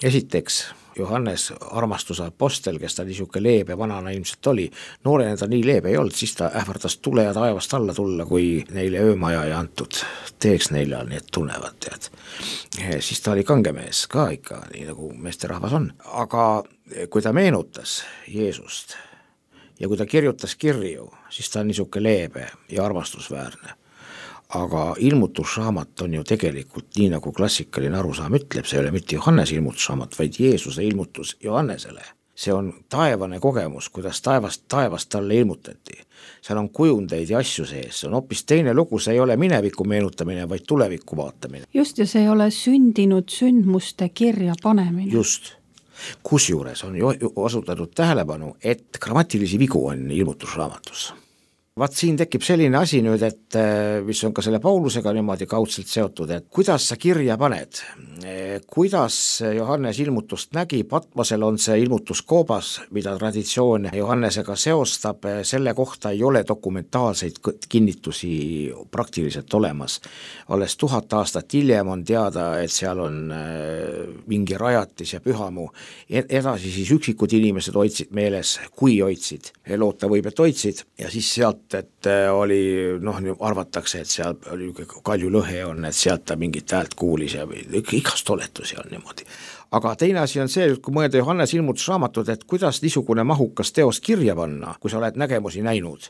esiteks Johannes armastuse apostel, kes ta niisugune leebe vanana ilmselt oli, noorena ta nii leebe ei olnud, siis ta ähvardas tule ja taevast alla tulla, kui neile öömaja ei antud, teeks neile, nii et tunnevad, tead. Siis ta oli kangemees ka ikka, nii nagu meesterahvas on. Aga kui ta meenutas Jeesust ja kui ta kirjutas kirju, siis ta on niisugune leebe ja armastusväärne. Aga ilmutusraamat on ju tegelikult nii nagu klassikaline arusaam ütleb, see ei ole mitte Johannese ilmutusraamat, vaid Jeesuse ilmutus Johannesele. See on taevane kogemus, kuidas taevast, taevast talle ilmutati. Seal on kujundeid ja asju sees, see on hoopis teine lugu, see ei ole mineviku meenutamine, vaid tuleviku vaatamine. Just, ja see ei ole sündinud sündmuste kirja panemine. Just. Kusjuures on ju osutatud tähelepanu, et grammatilisi vigu on ilmutusraamatus. Vaat siin tekib selline asi nüüd, et mis on ka selle Paulusega niimoodi kaudselt seotud, et kuidas sa kirja paned, kuidas Johannes ilmutust nägi, Patmosel on see ilmutuskoobas, mida traditsioon Johannesega seostab, selle kohta ei ole dokumentaalseid kinnitusi praktiliselt olemas. Alles tuhat aastat hiljem on teada, et seal on mingi rajatis ja pühamu, edasi siis üksikud inimesed hoidsid meeles, kui hoidsid, loota võib, et hoidsid ja siis sealt et oli, noh, arvatakse, et seal oli kalju lõhe on, et sealt ta mingit häält kuulis ja igast oletusi on niimoodi. aga teine asi on see, kui mõelda Johannes ilmutusraamatud, et kuidas niisugune mahukas teos kirja panna, kui sa oled nägemusi näinud.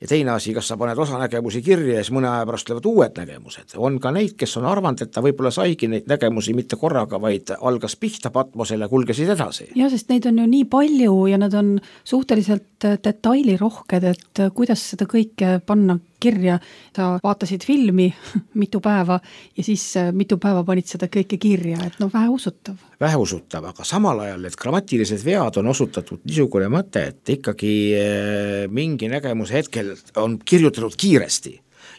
Ja teine asi, kas sa paned osa nägemusi kirja ja siis mõne aja pärast tulevad uued nägemused. On ka neid, kes on arvanud, et ta võib-olla saigi neid nägemusi mitte korraga, vaid algas pihta Patmosele ja kulgesid edasi. Ja, sest neid on ju nii palju ja nad on suhteliselt detailirohked, et kuidas seda kõike panna kirja. Sa vaatasid filmi mitu päeva ja siis mitu päeva panid seda kõike kirja, et no vähe usutav. Vähe usutav, aga samal ajal need grammatilised vead on osutatud niisugune mõte, et ikkagi mingi nägemuse hetkel on kirjutatud kiiresti.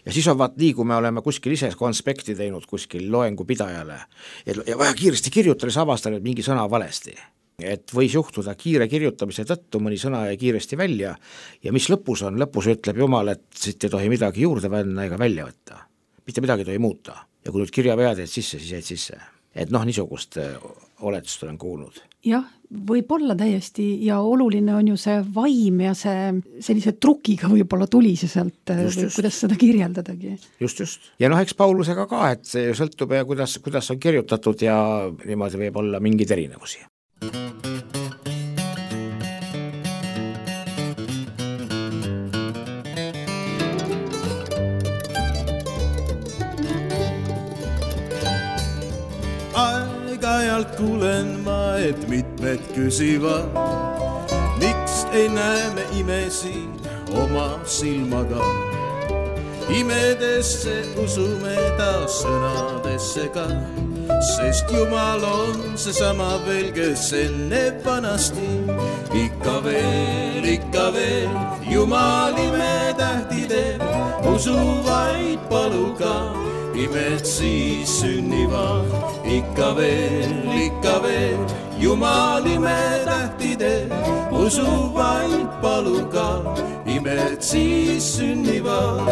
Ja siis on vaat nii, kui me oleme kuskil ise konspekti teinud kuskil loengu pidajale ja vaja kiiresti kirjutada, siis avastan, et mingi sõna valesti. Et võis juhtuda kiire kirjutamise tõttu, mõni sõna jäi kiiresti välja ja mis lõpus on, lõpus ütleb Jumal, et siit ei tohi midagi juurde panna ega välja võtta. Mitte midagi ei tohi muuta ja kui nüüd kirjavead jäid sisse, siis jäid sisse. Et noh, niisugust oletust olen kuulnud. Jah, võib olla täiesti ja oluline on ju see vaim ja see sellise trukiga võib-olla tuli see sealt, just, just. Kuidas seda kirjeldadagi. Just, just. Ja noh, eks Paulusega ka, et see sõltub ja kuidas, kuidas on kirjutatud ja niimoodi võib olla mingeid erinevusi. Aeg-ajalt kuulen ma, et mitmed küsivad, miks ei näe me imesi oma silmaga. Imedesse usume ta sõnadesse ka, sest Jumal on seesama veel, kes enne vanasti. Ikka veel, ikka veel, Jumal imetähti teeb, usu vaid paluga, imed siis sünnivad. Ikka veel, ikka veel, Jumal imetähti teeb, usu vaid paluga, imed siis sünnivad.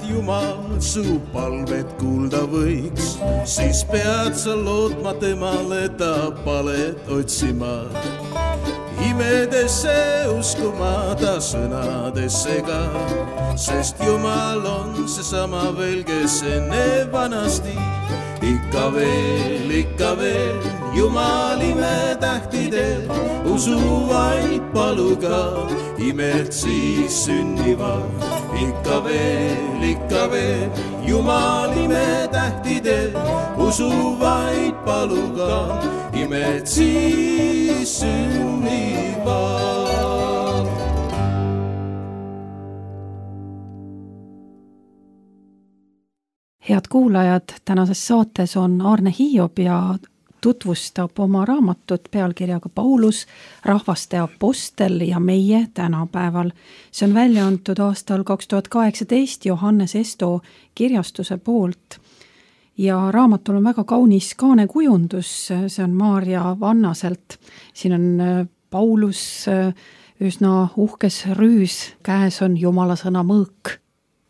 Jumal su palvet kuulda võiks, siis pead sa lootma temale, ta palet otsima. Imedesse uskuma ta sõnadesse ka, sest Jumal on seesama veel, kes enne vanasti. Ikka veel, ikka veel, Jumal imetähti teeb, usu vaid paluga, imed siis sünnivad. Ikka veel, ikka veel, Jumal imetähti teeb, usu vaid paluga, imed siis sünnivad. Head kuulajad, tänases saates on Aarne Hiob ja tutvustab oma raamatut pealkirjaga Paulus, rahvaste apostel ja meie tänapäeval. See on välja antud aastal kaks tuhat kaheksateist Johannes Esto kirjastuse poolt. Ja raamatul on väga kaunis kaanekujundus, see on Maarja Vannaselt. Siin on Paulus üsna uhkes rüüs, käes on Jumala sõna mõõk.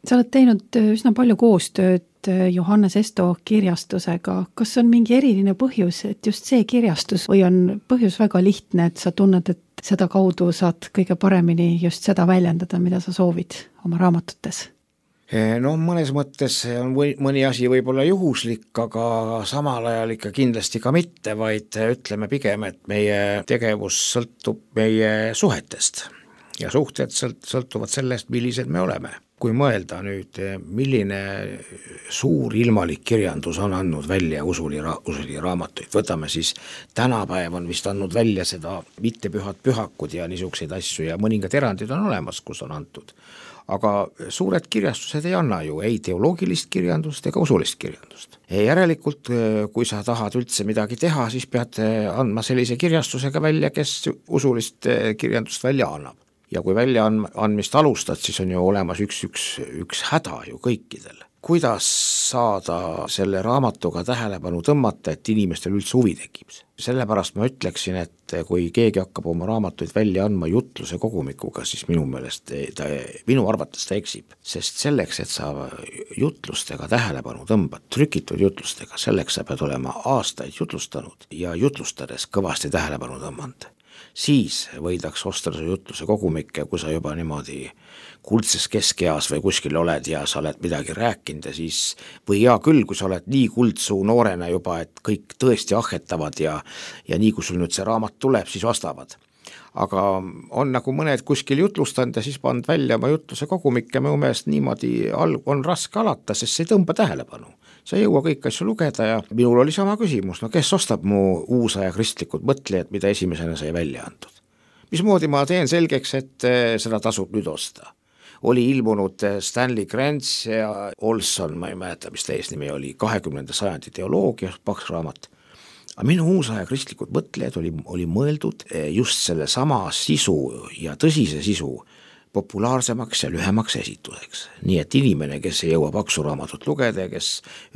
Sa oled teinud üsna palju koostööd Johannes Esto kirjastusega. Kas on mingi eriline põhjus, et just see kirjastus või on põhjus väga lihtne, et sa tunned, et seda kaudu saad kõige paremini just seda väljendada, mida sa soovid oma raamatutes? No mõnes mõttes on või, mõni asi võib olla juhuslik, aga samal ajal ikka kindlasti ka mitte, vaid ütleme pigem, et meie tegevus sõltub meie suhetest ja suhted sõltuvad sellest, millised me oleme. Kui mõelda nüüd, milline suur ilmalik kirjandus on andnud välja usuli, ra- usuli raamatuid, võtame siis tänapäev on vist andnud välja seda mittepühad pühakud ja niisuguseid asju ja mõningad erandid on olemas, kus on antud. Aga suured kirjastused ei anna ju ei teoloogilist kirjandust ega usulist kirjandust. Järelikult, kui sa tahad üldse midagi teha, siis pead andma sellise kirjastusega välja, kes usulist kirjandust välja annab. Ja kui välja andmist alustad, siis on ju olemas üks, üks, üks häda ju kõikidel. kuidas saada selle raamatuga tähelepanu tõmmata, et inimestel üldse huvi tekib. Sellepärast ma ütleksin, et kui keegi hakkab oma raamatuid välja andma jutluse kogumikuga, siis minu meelest ta, minu arvates ta eksib, sest selleks, et sa jutlustega tähelepanu tõmbad, trükitud jutlustega, selleks sa pead olema aastaid jutlustanud ja jutlustades kõvasti tähelepanu tõmmanud. Siis võidaks osta su jutluse kogumikke, kui sa juba niimoodi kuldses keskeas või kuskil oled ja sa oled midagi rääkinud ja siis, või hea küll, kui sa oled nii kuldsuu noorena juba, et kõik tõesti ahhetavad ja, ja nii kui sul nüüd see raamat tuleb, siis vastavad. Aga on nagu mõned kuskil jutlustanud ja siis pand välja oma jutluse kogumikke, minu meelest niimoodi on raske alata, sest see ei tõmba tähelepanu. Sa ei jõua kõik asju lugeda ja minul oli sama küsimus, no kes ostab mu uusaja kristlikud mõtlejad, mida esimesena sai välja antud. Mismoodi ma teen selgeks, et seda tasub nüüd osta. Oli ilmunud Stanley Grants ja Olson, ma ei mäleta, mis ta eesnimi oli, kahekümnenda sajandi teoloogia, paks raamat. Aga minu uusaja kristlikud mõtlejad oli, oli mõeldud just selle sama sisu ja tõsise sisu populaarsemaks ja lühemaks esituseks. Nii et inimene, kes ei jõua paksu raamatut lugeda ja kes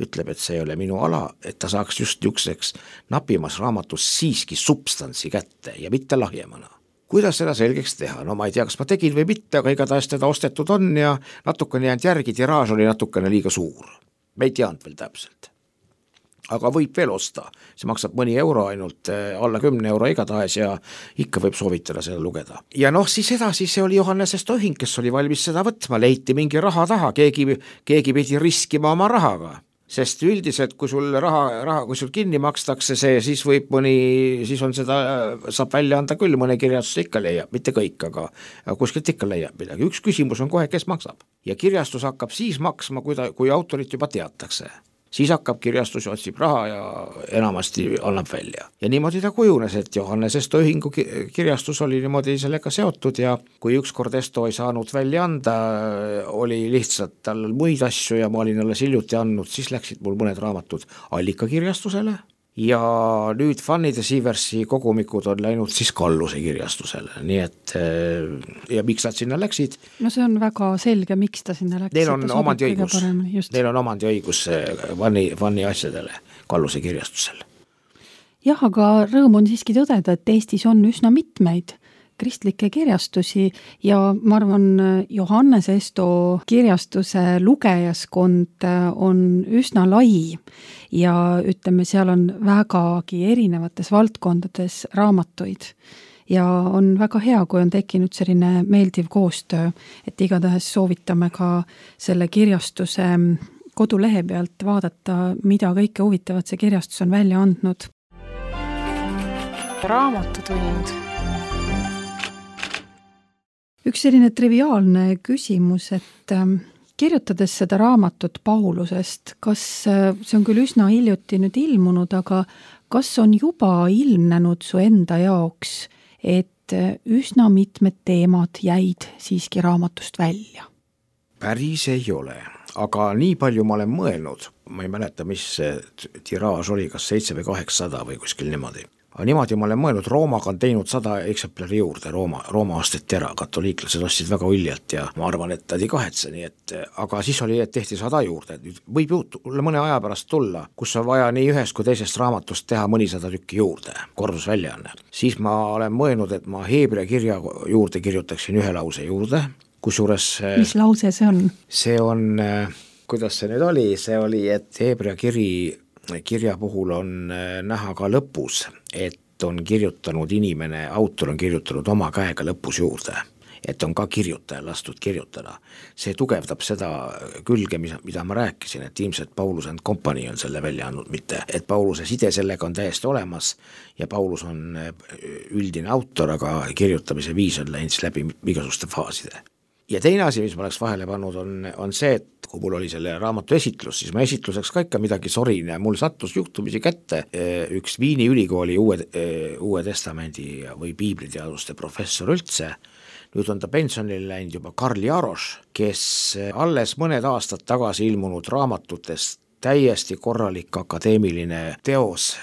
ütleb, et see ei ole minu ala, et ta saaks just niisuguseks napimas raamatus siiski substantsi kätte ja mitte lahjemana. Kuidas seda selgeks teha? No ma ei tea, kas ma tegin või mitte, aga igatahes teda ostetud on ja natukene jäänud järgi, tiraaž oli natukene liiga suur. Me ei teadnud veel täpselt. Aga võib veel osta, see maksab mõni euro ainult, alla kümne euro igatahes ja ikka võib soovitada seda lugeda. Ja noh, siis edasi see oli Johannes Tohing, kes oli valmis seda võtma, leiti mingi raha taha, keegi, keegi pidi riskima oma rahaga, sest üldiselt kui sul raha, raha, kui sul kinni makstakse see, siis võib mõni, siis on seda, saab välja anda küll, mõne kirjastuse ikka leiab, mitte kõik, aga kuskilt ikka leiab midagi. Üks küsimus on kohe, kes maksab ja kirjastus hakkab siis maksma, kui, ta, kui autorit juba teatakse. Siis hakkab kirjastus, otsib raha ja enamasti annab välja. Ja niimoodi ta kujunes, et Johannes Esto ühingu kirjastus oli niimoodi sellega seotud ja kui ükskord Esto ei saanud välja anda, oli lihtsalt tal muid asju ja ma olin alles hiljuti andnud, siis läksid mul mõned raamatud Allika kirjastusele ja nüüd Fanny de Sieversi kogumikud on läinud siis Kalluse kirjastusele, nii et ja miks nad sinna läksid? No see on väga selge, miks ta sinna läks. Neil on omandiõigus, neil on omandiõigus Fanny, Fanny asjadele Kalluse kirjastusel. Jah, aga rõõm on siiski tõdeda, et Eestis on üsna mitmeid kristlikke kirjastusi ja ma arvan, Johannes Esto kirjastuse lugejaskond on üsna lai ja ütleme, seal on vägagi erinevates valdkondades raamatuid ja on väga hea, kui on tekkinud selline meeldiv koostöö, et igatahes soovitame ka selle kirjastuse kodulehe pealt vaadata, mida kõike huvitavat see kirjastus on välja andnud. Raamatutund. Üks selline triviaalne küsimus, et kirjutades seda raamatut Paulusest, kas see on küll üsna hiljuti nüüd ilmunud, aga kas on juba ilmnenud su enda jaoks, et üsna mitmed teemad jäid siiski raamatust välja? Päris ei ole, aga nii palju ma olen mõelnud, ma ei mäleta, mis see tiraaž oli, kas seitse või kaheksasada või kuskil niimoodi. Aga niimoodi ma olen mõelnud, Roomaga on teinud sada eksemplari juurde, Rooma, Rooma asteti ära, katoliiklased ostsid väga uljalt ja ma arvan, et ta ei kahetse, nii et, aga siis oli, et tehti sada juurde, nüüd võib juhtuda mõne aja pärast tulla, kus on vaja nii ühest kui teisest raamatust teha mõnisada tükki juurde, kordusväljaanne. Siis ma olen mõelnud, et ma Heebrea kirja juurde kirjutaksin ühe lause juurde, kusjuures mis lause see on? See on, kuidas see nüüd oli, see oli, et Heebrea kiri kirja puhul on näha ka lõpus, et on kirjutanud inimene, autor on kirjutanud oma käega lõpus juurde, et on ka kirjutaja lastud kirjutada. See tugevdab seda külge, mida ma rääkisin, et ilmselt Paulus and Company on selle välja andnud, mitte et Pauluse side sellega on täiesti olemas ja Paulus on üldine autor, aga kirjutamise viis on läinud läbi igasuguste faaside. Ja teine asi, mis ma oleks vahele pannud, on, on see, et kui mul oli selle raamatu esitlus, siis ma esitluseks ka ikka midagi sorin ja mul sattus juhtumisi kätte üks Viini ülikooli uue, uue testamendi või piibliteaduste professor üldse. Nüüd on ta pensionile läinud juba Karl Jaroš, kes alles mõned aastad tagasi ilmunud raamatutest täiesti korralik akadeemiline teos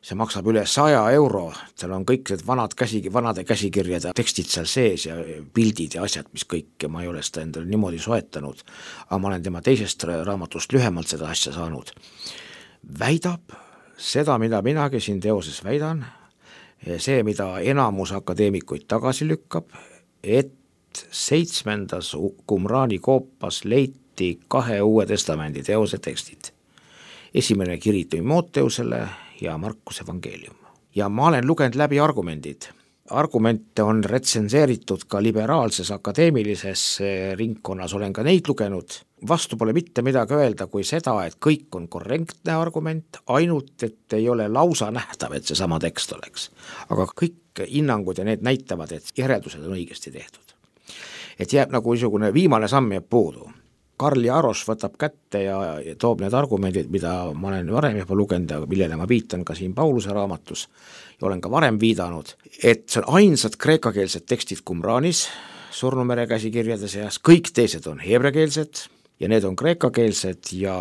see maksab üle saja euro, seal on kõik need vanad käsi, vanade käsikirjade tekstid seal sees ja pildid ja asjad, mis kõik, ja ma ei ole seda endale niimoodi soetanud, aga ma olen tema teisest raamatust lühemalt seda asja saanud. Väidab seda, mida minagi siin teoses väidan, see, mida enamus akadeemikuid tagasi lükkab, et seitsmendas Qumrani koopas leiti kahe uue testamendi teose tekstid. Esimene kiri Timoteusele ja Markuse evangeelium. Ja ma olen lugenud läbi argumendid. Argumente on retsenseeritud ka liberaalses akadeemilises ringkonnas, olen ka neid lugenud. Vastu pole mitte midagi öelda kui seda, et kõik on korrektne argument, ainult et ei ole lausa nähtav, et see sama tekst oleks. Aga kõik hinnangud ja need näitavad, et järeldused on õigesti tehtud. Et jääb nagu niisugune viimane samm jääb puudu. Karl Jaroš võtab kätte ja toob need argumendid, mida ma olen varem juba lugenud ja millele ma viitan ka siin Pauluse raamatus ja olen ka varem viidanud, et see on ainsad kreekakeelsed tekstid Qumranis, Surnumere käsikirjade seas, kõik teised on heebreakeelsed ja need on kreekakeelsed ja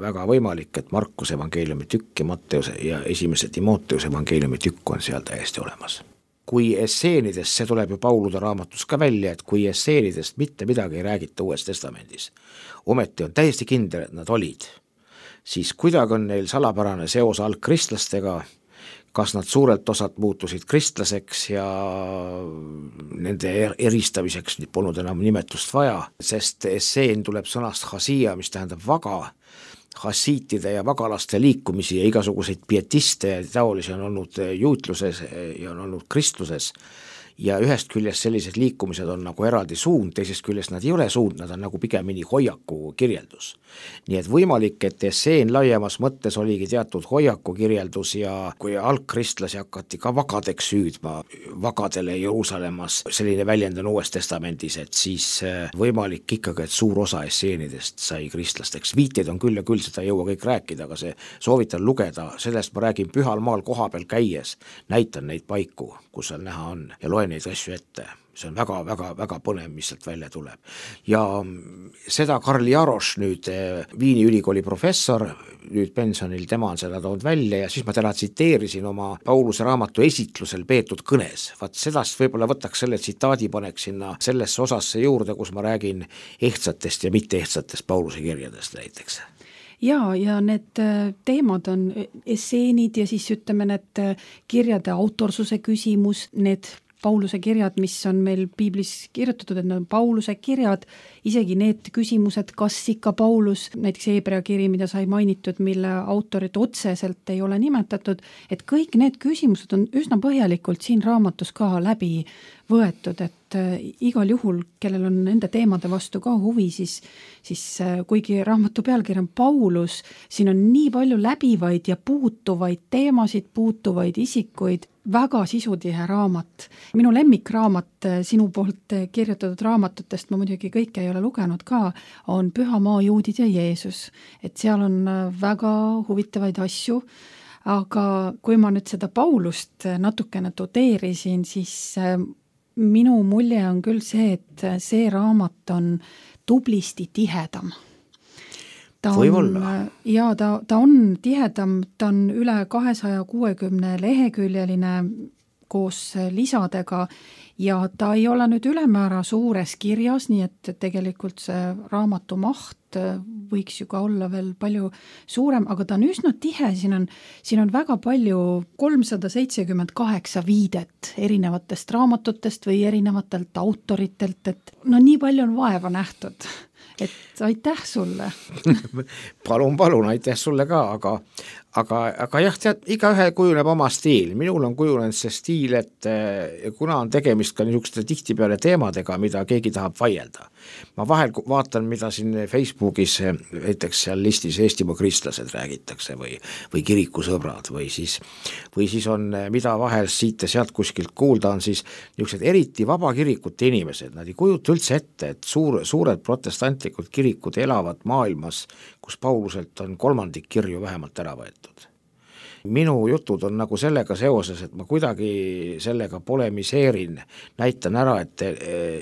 väga võimalik, et Markuse evangeeliumi tükk ja Matteuse ja esimese Timoteuse evangeeliumi tükk on seal täiesti olemas. Kui esseenidest, see tuleb ju Paulude raamatus ka välja, et kui esseenidest mitte midagi ei räägita Uues testamendis, ometi on täiesti kindel, et nad olid, siis kuidagi on neil salapärane seos algkristlastega, kas nad suurelt osad muutusid kristlaseks ja nende eristamiseks polnud enam nimetust vaja, sest esseen tuleb sõnast chassia, mis tähendab vaga, hassiitide ja vagalaste liikumisi ja igasuguseid pietiste ja taolisi on olnud juutluses ja on olnud kristluses ja ühest küljest sellised liikumised on nagu eraldi suund, teisest küljest nad ei ole suund, nad on nagu pigemini hoiaku kirjeldus. Nii et võimalik, et esseen laiemas mõttes oligi teatud hoiaku kirjeldus ja kui algkristlasi hakati ka vagadeks süüdma, vagadele Jeruusalemmas, selline väljend on Uues testamendis, et siis võimalik ikkagi, et suur osa esseenidest sai kristlasteks. Viiteid on küll ja küll, seda ei jõua kõik rääkida, aga see soovitan lugeda, sellest ma räägin Pühal maal koha peal käies, näitan neid paiku, kus seal näha on ja loen neid asju ette. See on väga, väga, väga põnev, mis sealt välja tuleb. Ja seda Karl Jaroš, nüüd Viini ülikooli professor, nüüd pensionil, tema on seda toonud välja ja siis ma täna tsiteerisin oma Pauluse raamatu esitlusel peetud kõnes. Vaat sedast võib-olla võtaks selle tsitaadi, paneks sinna sellesse osasse juurde, kus ma räägin ehtsatest ja mitte ehtsatest Pauluse kirjadest näiteks. Ja, ja need teemad on esseenid ja siis ütleme need kirjade autorsuse küsimus, need Pauluse kirjad, mis on meil piiblis kirjutatud, et need on Pauluse kirjad, isegi need küsimused, kas ikka Paulus, näiteks Heebrea kiri, mida sai mainitud, mille autorit otseselt ei ole nimetatud, et kõik need küsimused on üsna põhjalikult siin raamatus ka läbi võetud, et igal juhul, kellel on nende teemade vastu ka huvi, siis, siis kuigi raamatu pealkiri on Paulus, siin on nii palju läbivaid ja puutuvaid teemasid, puutuvaid isikuid, väga sisutihe raamat. Minu lemmikraamat sinu poolt kirjutatud raamatutest, ma muidugi kõike ei ole lugenud ka, on Pühamaa juudid ja Jeesus. Et seal on väga huvitavaid asju, aga kui ma nüüd seda Paulust natukene tudeerisin, siis minu mulje on küll see, et see raamat on tublisti tihedam. Ta on, ja ta, ta on tihedam, ta on üle kahesaja kuuekümne leheküljeline koos lisadega ja ta ei ole nüüd ülemäära suures kirjas, nii et tegelikult see raamatu maht võiks ju ka olla veel palju suurem, aga ta on üsna tihe, siin on, siin on väga palju kolmsada seitsekümmend kaheksa viidet erinevatest raamatutest või erinevatelt autoritelt, et no nii palju on vaeva nähtud. Et aitäh sulle. palun, palun, aitäh sulle ka, aga, aga, aga jah, tead, igaühe kujuneb oma stiil. Minul on kujunenud see stiil, et kuna on tegemist ka niisuguste tihtipeale teemadega, mida keegi tahab vaielda. Ma vahel vaatan, mida siin Facebookis, näiteks seal listis Eestimaa kristlased räägitakse või, või kirikusõbrad või siis, või siis on, mida vahel siit ja sealt kuskilt kuulda on siis niisugused eriti vabakirikute inimesed. Nad ei kujuta üldse ette, et suur, suured protestanti kirikud elavad maailmas, kus Pauluselt on kolmandik kirju vähemalt ära võetud. minu jutud on nagu sellega seoses, et ma kuidagi sellega polemiseerin, näitan ära, et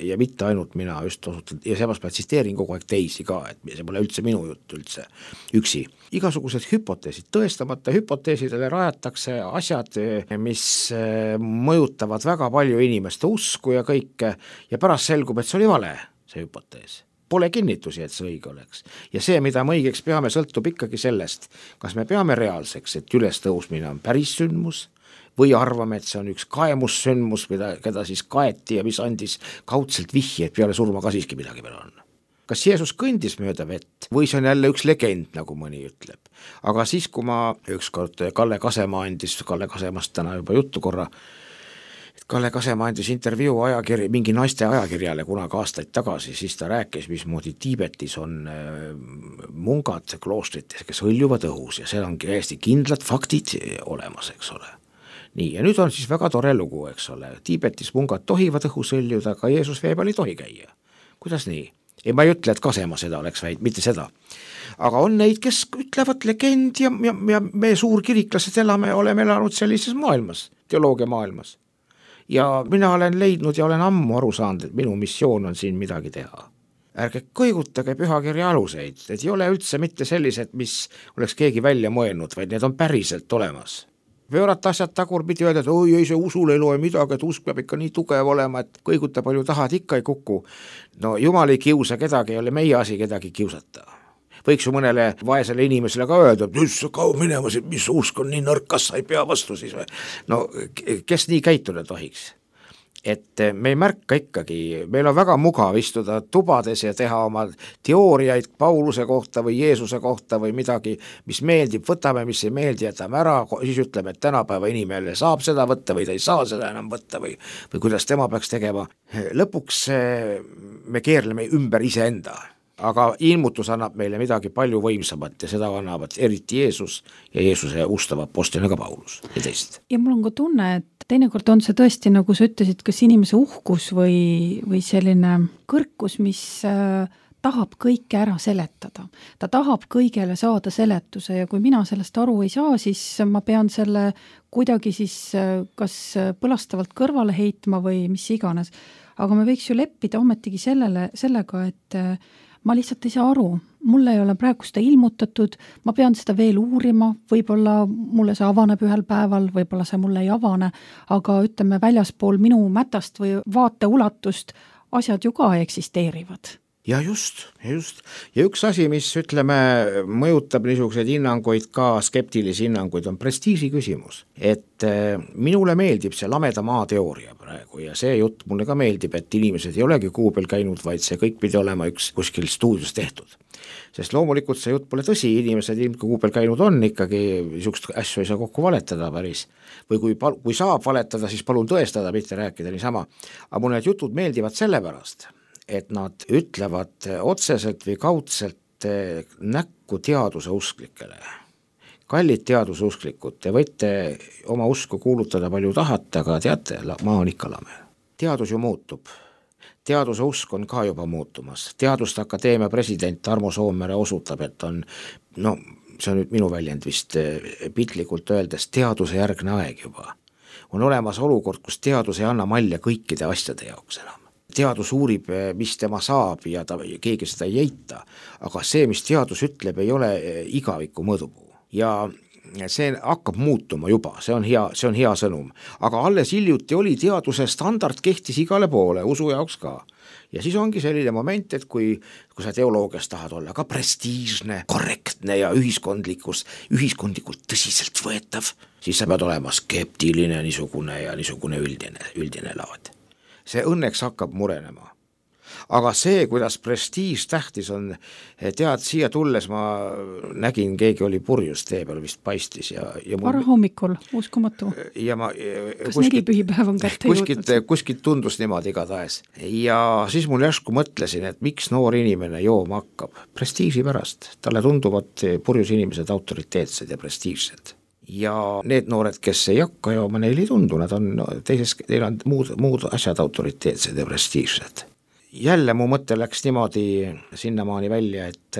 ja mitte ainult mina just osutan, ja seepärast ma tsiteerin kogu aeg teisi ka, et see pole üldse minu jutt üldse üksi. Igasugused hüpoteesid, tõestamata hüpoteesidele rajatakse asjad, mis mõjutavad väga palju inimeste usku ja kõike, ja pärast selgub, et see oli vale, see hüpotees. Pole kinnitusi, et see õige oleks. Ja see, mida me õigeks peame, sõltub ikkagi sellest, kas me peame reaalseks, et üles tõusmine on päris sündmus, või arvame, et see on üks kaemussündmus, mida, keda siis kaeti ja mis andis kaudselt vihje, et peale surma ka siiski midagi peal on. Kas Jeesus kõndis mööda vett või see on jälle üks legend, nagu mõni ütleb. Aga siis, kui ma ükskord Kalle Kasemaa andis, Kalle Kasemast täna juba juttu korra, Kalle Kasemaa andis intervjuu ajakirja, mingi naiste ajakirjale kunagi aastaid tagasi, siis ta rääkis, mismoodi Tiibetis on mungad kloostrites, kes hõljuvad õhus ja seal on hästi kindlad faktid olemas, eks ole. Nii, ja nüüd on siis väga tore lugu, eks ole. Tiibetis mungad tohivad õhus hõljuda, aga Jeesus vee peal ei tohi käia. Kuidas nii? Ei, ma ei ütle, et Kasemaa seda oleks väid, mitte seda. Aga on neid, kes ütlevad legend ja, ja, ja me suurkiriklased elame, oleme elanud sellises maailmas, teoloogia maailmas. Ja mina olen leidnud ja olen ammu aru saanud, et minu missioon on siin midagi teha. Ärge kõigutage pühakirja aluseid, et ei ole üldse mitte sellised, mis oleks keegi välja mõelnud, vaid need on päriselt olemas. Pöörata asjad tagurpidi öelda, et oi, ei, see usul ei loe midagi, et usk peab ikka nii tugev olema, et kõiguta palju tahad, ikka ei kuku. No jumal ei kiusa kedagi, ei ole meie asi kedagi kiusata. Võiks ju mõnele vaesele inimesele ka öelda, et just kaua minema, mis usk on nii nõrk, kas sa ei pea vastu siis või? No kes nii käituda tohiks? Et me ei märka ikkagi, meil on väga mugav istuda tubades ja teha oma teooriaid Pauluse kohta või Jeesuse kohta või midagi, mis meeldib, võtame, mis ei meeldi, jätame ära, siis ütleme, et tänapäeva inimene saab seda võtta või ta ei saa seda enam võtta või, või kuidas tema peaks tegema. Lõpuks me keerleme ümber iseenda. Aga ilmutus annab meile midagi palju võimsamat ja seda annavad eriti Jeesus ja Jeesuse ustava apostlina ka Paulus ja teist. Ja mul on ka tunne, et teinekord on see tõesti, nagu sa ütlesid, kas inimese uhkus või, või selline kõrkus, mis äh, tahab kõike ära seletada. Ta tahab kõigele saada seletuse ja kui mina sellest aru ei saa, siis ma pean selle kuidagi siis äh, kas põlastavalt kõrvale heitma või mis iganes. Aga me võiks ju leppida ometigi sellele, sellega, et äh, ma lihtsalt ei saa aru, mulle ei ole praegu seda ilmutatud, ma pean seda veel uurima, võib-olla mulle see avaneb ühel päeval, võib-olla see mulle ei avane, aga ütleme väljaspool minu mätast või vaate ulatust asjad ju ka eksisteerivad. Ja just, just. Ja üks asi, mis ütleme, mõjutab niisuguseid hinnanguid ka, skeptilisi hinnanguid, on prestiisi küsimus. Et minule meeldib see lameda maa teooria praegu ja see jutt mulle ka meeldib, et inimesed ei olegi kuu peal käinud, vaid see kõik pidi olema üks kuskil stuudios tehtud. Sest loomulikult see jutt pole tõsi, inimesed ilmselt kuu peal käinud on ikkagi, niisugust asju ei saa kokku valetada päris. Või kui, kui saab valetada, siis palun tõestada, mitte rääkida niisama. Aga mulle need jutud meeldivad sellepärast, et nad ütlevad otseselt või kaudselt näkku teaduse usklikele. Kallid teaduse usklikud, te võite oma usku kuulutada palju tahate, aga teate, maa on ikka lame. Teadus ju muutub. Teaduse usk on ka juba muutumas. Teaduste Akadeemia president Tarmo Soomere osutab, et on, no see on nüüd minu väljend vist pitlikult öeldes, teaduse järgne aeg juba. On olemas olukord, kus teadus ei anna malja kõikide asjade jaoks enam. Teadus uurib, mis tema saab ja ta, keegi seda ei eita, aga see, mis teadus ütleb, ei ole igaviku mõõdupuu. Ja see hakkab muutuma juba, see on hea, see on hea sõnum. Aga alles hiljuti oli teaduse standard kehtis igale poole, usu jaoks ka. Ja siis ongi selline moment, et kui, kui sa teoloogias tahad olla ka prestiižne, korrektne ja ühiskondlikus, ühiskondlikult tõsiselt võetav, siis sa pead olema skeptiline niisugune ja niisugune üldine, üldine laad. See õnneks hakkab murenema. Aga see, kuidas prestiiž tähtis on, tead, siia tulles ma nägin, keegi oli purjus tee peal vist paistis. Ja, ja mul... Vara hommikul, uskumatu. Ja ma, kas kuskilt, nelipühipäev on kätte kuskilt, kuskilt tundus niimoodi igatahes. Ja siis mul järsku mõtlesin, et miks noor inimene jooma hakkab. Prestiiži pärast. Talle tunduvad purjus inimesed autoriteetsed ja prestiižsed. Ja need noored, kes ei hakka jooma, neil ei tundu, nad on teises, neil on muud, muud asjad autoriteetsed ja prestiižsed. Jälle mu mõte läks niimoodi sinnamaani välja, et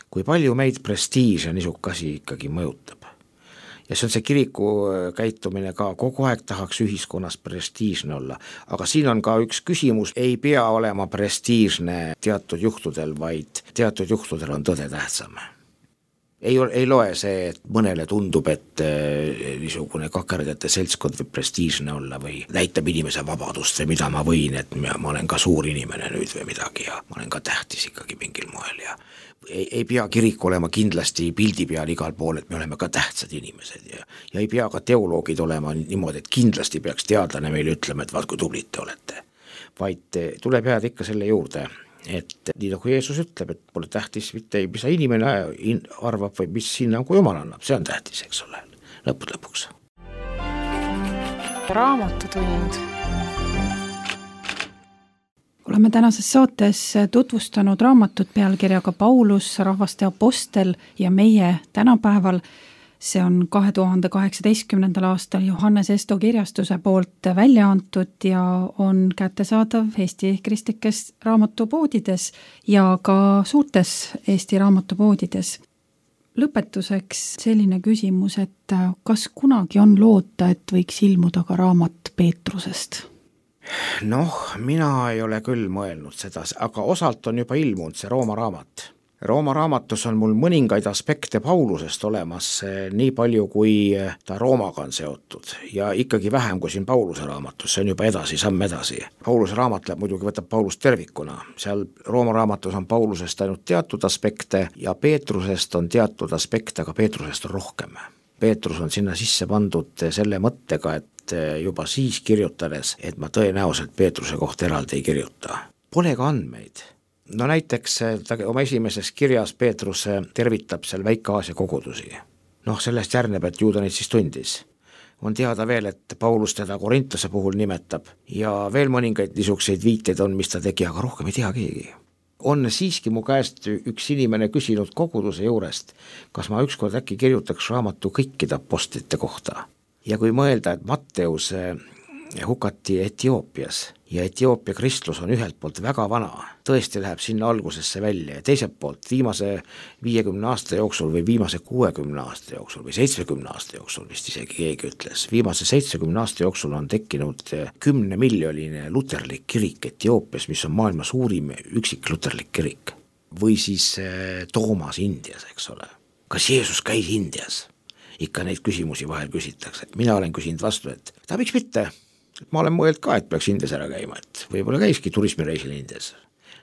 kui palju meid prestiiž ja niisugune asi ikkagi mõjutab. ja see on see kiriku käitumine ka, kogu aeg tahaks ühiskonnas prestiižne olla, aga siin on ka üks küsimus, ei pea olema prestiižne teatud juhtudel, vaid teatud juhtudel on tõde tähtsam. Ei, ei loe see, et mõnele tundub, et niisugune kakerdajate seltskond võib prestiižne olla või näitab inimese vabadust või mida ma võin, et ma olen ka suur inimene nüüd või midagi ja ma olen ka tähtis ikkagi mingil moel ja ei, ei pea kirik olema kindlasti pildi peal igal pool, et me oleme ka tähtsad inimesed ja, ja ei pea ka teoloogid olema niimoodi, et kindlasti peaks teadlane meile ütlema, et vaat kui tublid te olete, vaid tuleb jääda ikka selle juurde, et nii nagu Jeesus ütleb, et pole tähtis mitte, mis inimene arvab või mis hinnangu Jumal annab, see on tähtis, eks ole, lõpud lõpuks. Raamatutund. Oleme tänases saates tutvustanud raamatut pealkirjaga Paulus, rahvaste apostel ja meie tänapäeval. See on kahe tuhande kaheksateistkümnendal aastal Johannes Esto kirjastuse poolt välja antud ja on kättesaadav Eesti kristlikes raamatupoodides ja ka suurtes Eesti raamatupoodides. Lõpetuseks selline küsimus, et kas kunagi on loota, et võiks ilmuda ka raamat Peetrusest? Noh, mina ei ole küll mõelnud seda, aga osalt on juba ilmunud see Rooma raamat. Rooma raamatus on mul mõningaid aspekte Paulusest olemas, nii palju kui ta Roomaga on seotud ja ikkagi vähem kui siin Pauluse raamatus, see on juba edasi, samm edasi. Pauluse raamat läheb, muidugi võtab Paulust tervikuna, seal Rooma raamatus on Paulusest ainult teatud aspekte ja Peetrusest on teatud aspekte, aga Peetrusest on rohkem. Peetrus on sinna sisse pandud selle mõttega, et juba siis kirjutades, et ma tõenäoliselt Peetruse kohta eraldi ei kirjuta. Pole ka andmeid. No näiteks ta oma esimeses kirjas Peetrus tervitab seal Väike-Aasia kogudusi. Noh, sellest järgneb, et ju ta neid siis tundis. On teada veel, et Paulus teda Korintuse puhul nimetab ja veel mõningaid niisuguseid viiteid on, mis ta tegi, aga rohkem ei tea keegi. On siiski mu käest üks inimene küsinud koguduse juurest, kas ma ükskord äkki kirjutaks raamatu kõikide apostlite kohta. Ja kui mõelda, et Matteus hukati Etioopias ja Etioopia kristlus on ühelt poolt väga vana, tõesti läheb sinna algusesse välja ja teiselt poolt viimase viiekümne aasta jooksul või viimase kuuekümne aasta jooksul või seitsmekümne aasta jooksul vist isegi keegi ütles, viimase seitsmekümne aasta jooksul on tekkinud kümne miljonine luterlik kirik Etioopias, mis on maailma suurim üksik luterlik kirik. Või siis Toomas Indias, eks ole. Kas Jeesus käis Indias? Ikka neid küsimusi vahel küsitakse. Mina olen küsinud vastu, et ta miks mitte? Ma olen mõeld ka, et peaks Indias ära käima, et võib-olla käiski turismireisil Indias.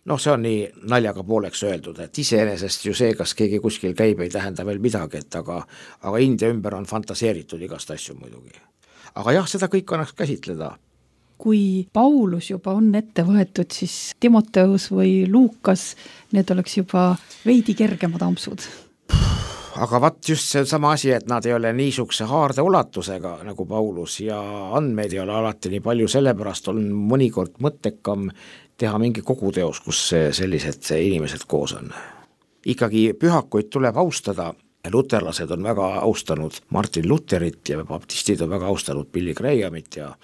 Noh, see on nii naljaga pooleks öeldud, et iseenesest ju see, kas keegi kuskil käib, ei tähenda veel midagi, et aga, aga India ümber on fantaseeritud igast asju muidugi. Aga jah, seda kõik annaks käsitleda. Kui Paulus juba on ette võetud, siis Timoteus või Luukas, need oleks juba veidi kergemad ampsud. Aga vaat just see sama asi, et nad ei ole niisuguse haarde ulatusega nagu Paulus ja andmeid ei ole alati nii palju, sellepärast on mõnikord mõttekam teha mingi koguteos, kus sellised inimesed koos on. Ikkagi pühakuid tuleb austada, luterlased on väga austanud Martin Lutherit ja baptistid on väga austanud Billy Grahamit ja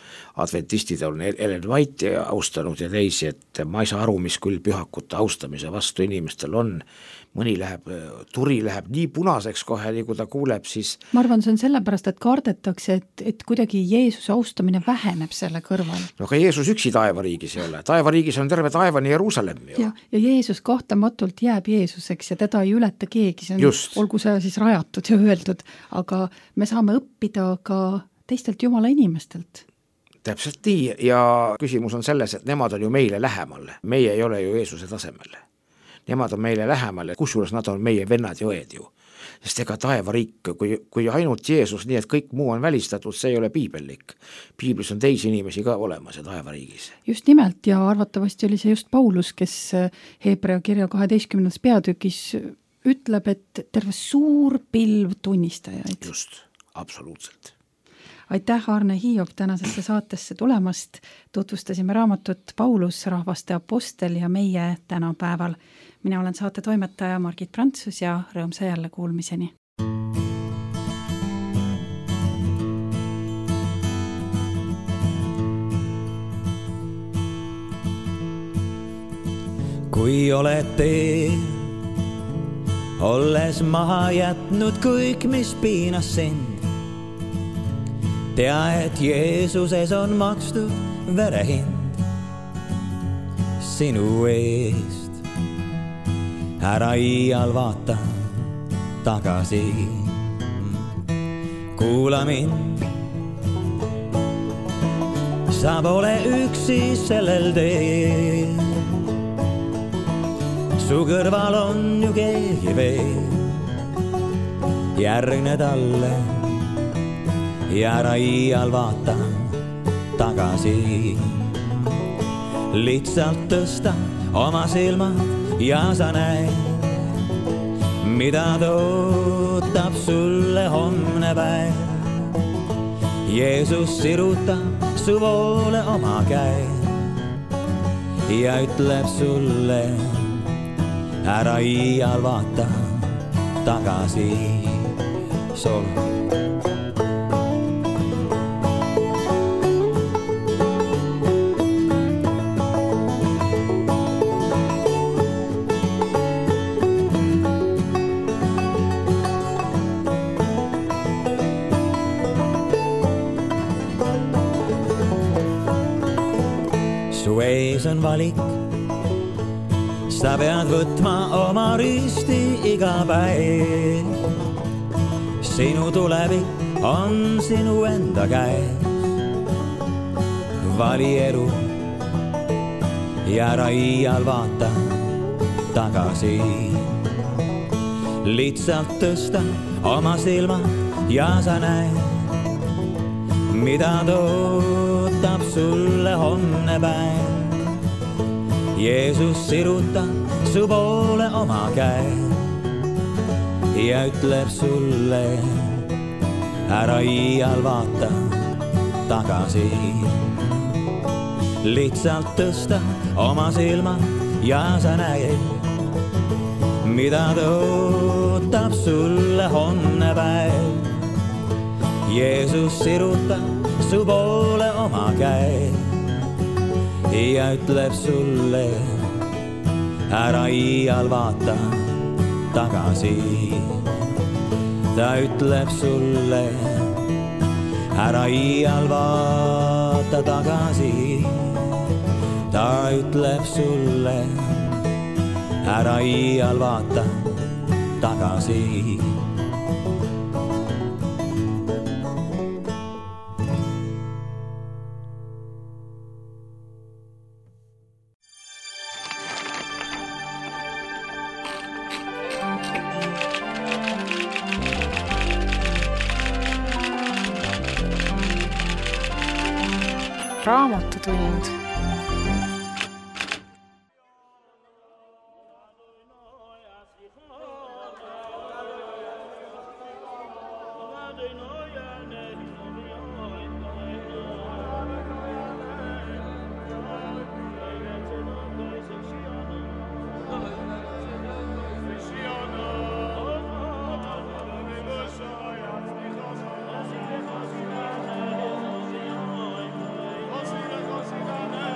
adventistid on Ellen White'i austanud ja teisi, et ma ei saa aru, mis küll pühakute austamise vastu inimestel on. Mõni läheb, turi läheb nii punaseks kohe, nii kui ta kuuleb, siis... Ma arvan, see on sellepärast, et kardetakse, et, et kuidagi Jeesuse austamine väheneb selle kõrval. No aga Jeesus üksi taevariigis ei ole. Taevariigis on terve taevani Jeruusalemm ju. Ja, ja Jeesus kohtamatult jääb Jeesuseks ja teda ei ületa keegi. See on, Just. Olgu see siis rajatud ja öeldud, aga me saame õppida ka teistelt Jumala inimestelt. Täpselt nii ja küsimus on selles, et nemad on ju meile lähemal. Meie ei ole ju Jeesuse tasemel. Nemad on meile lähemal, kusjuures nad on meie vennad ja õed ju. Sest ega taevariik, kui, kui ainult Jeesus, nii et kõik muu on välistatud, see ei ole piibellik. Piiblis on teisi inimesi ka olemas ja taevariigis. Just nimelt ja arvatavasti oli see just Paulus, kes Hebrea kirja kaheteistkümnendas peatükis ütleb, et terve suur pilv tunnistajaid. Just, absoluutselt. Aitäh, Arne Hiiop, tänasesse saatesse tulemast. Tutvustasime raamatut Paulus, rahvaste apostel ja meie tänapäeval. Mina olen saate toimetaja Margit Prantsus ja rõõmsa jälle kuulmiseni. Kui oled tee, olles maha jätnud kõik, mis piinas sind, tea, et Jeesuses on makstud verehind sinu eest. Ära iial vaata tagasi, kuula mind. Sa pole üksi sellel teel, su kõrval on ju keegi veel. Järgne talle ja ära iial vaata tagasi. Lihtsalt tõsta oma silmad ja sa näed, mida tootab sulle homne päev. Jeesus sirutab su poole oma käe ja ütleb sulle, ära iial vaata tagasi. Sol. Su ees on valik, sa pead võtma oma risti iga päev. Sinu tulevik on sinu enda käes. Vali elu ja ära iial vaata tagasi. Lihtsalt tõsta oma silmad ja sa näed, mida tootab sulle homne päev. Jeesus sirutab su poole oma käe ja ütleb sulle, ära iial vaata tagasi. Lihtsalt tõsta oma silmad ja sa näed, mida tootab sulle homne päev. Jeesus sirutab su poole oma käe ja ütleb sulle, ära iial vaata tagasi. Ta ütleb sulle, ära iial vaata tagasi. Ta ütleb sulle, ära iial vaata tagasi. Raamatutund. Così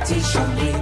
Petit Chambly.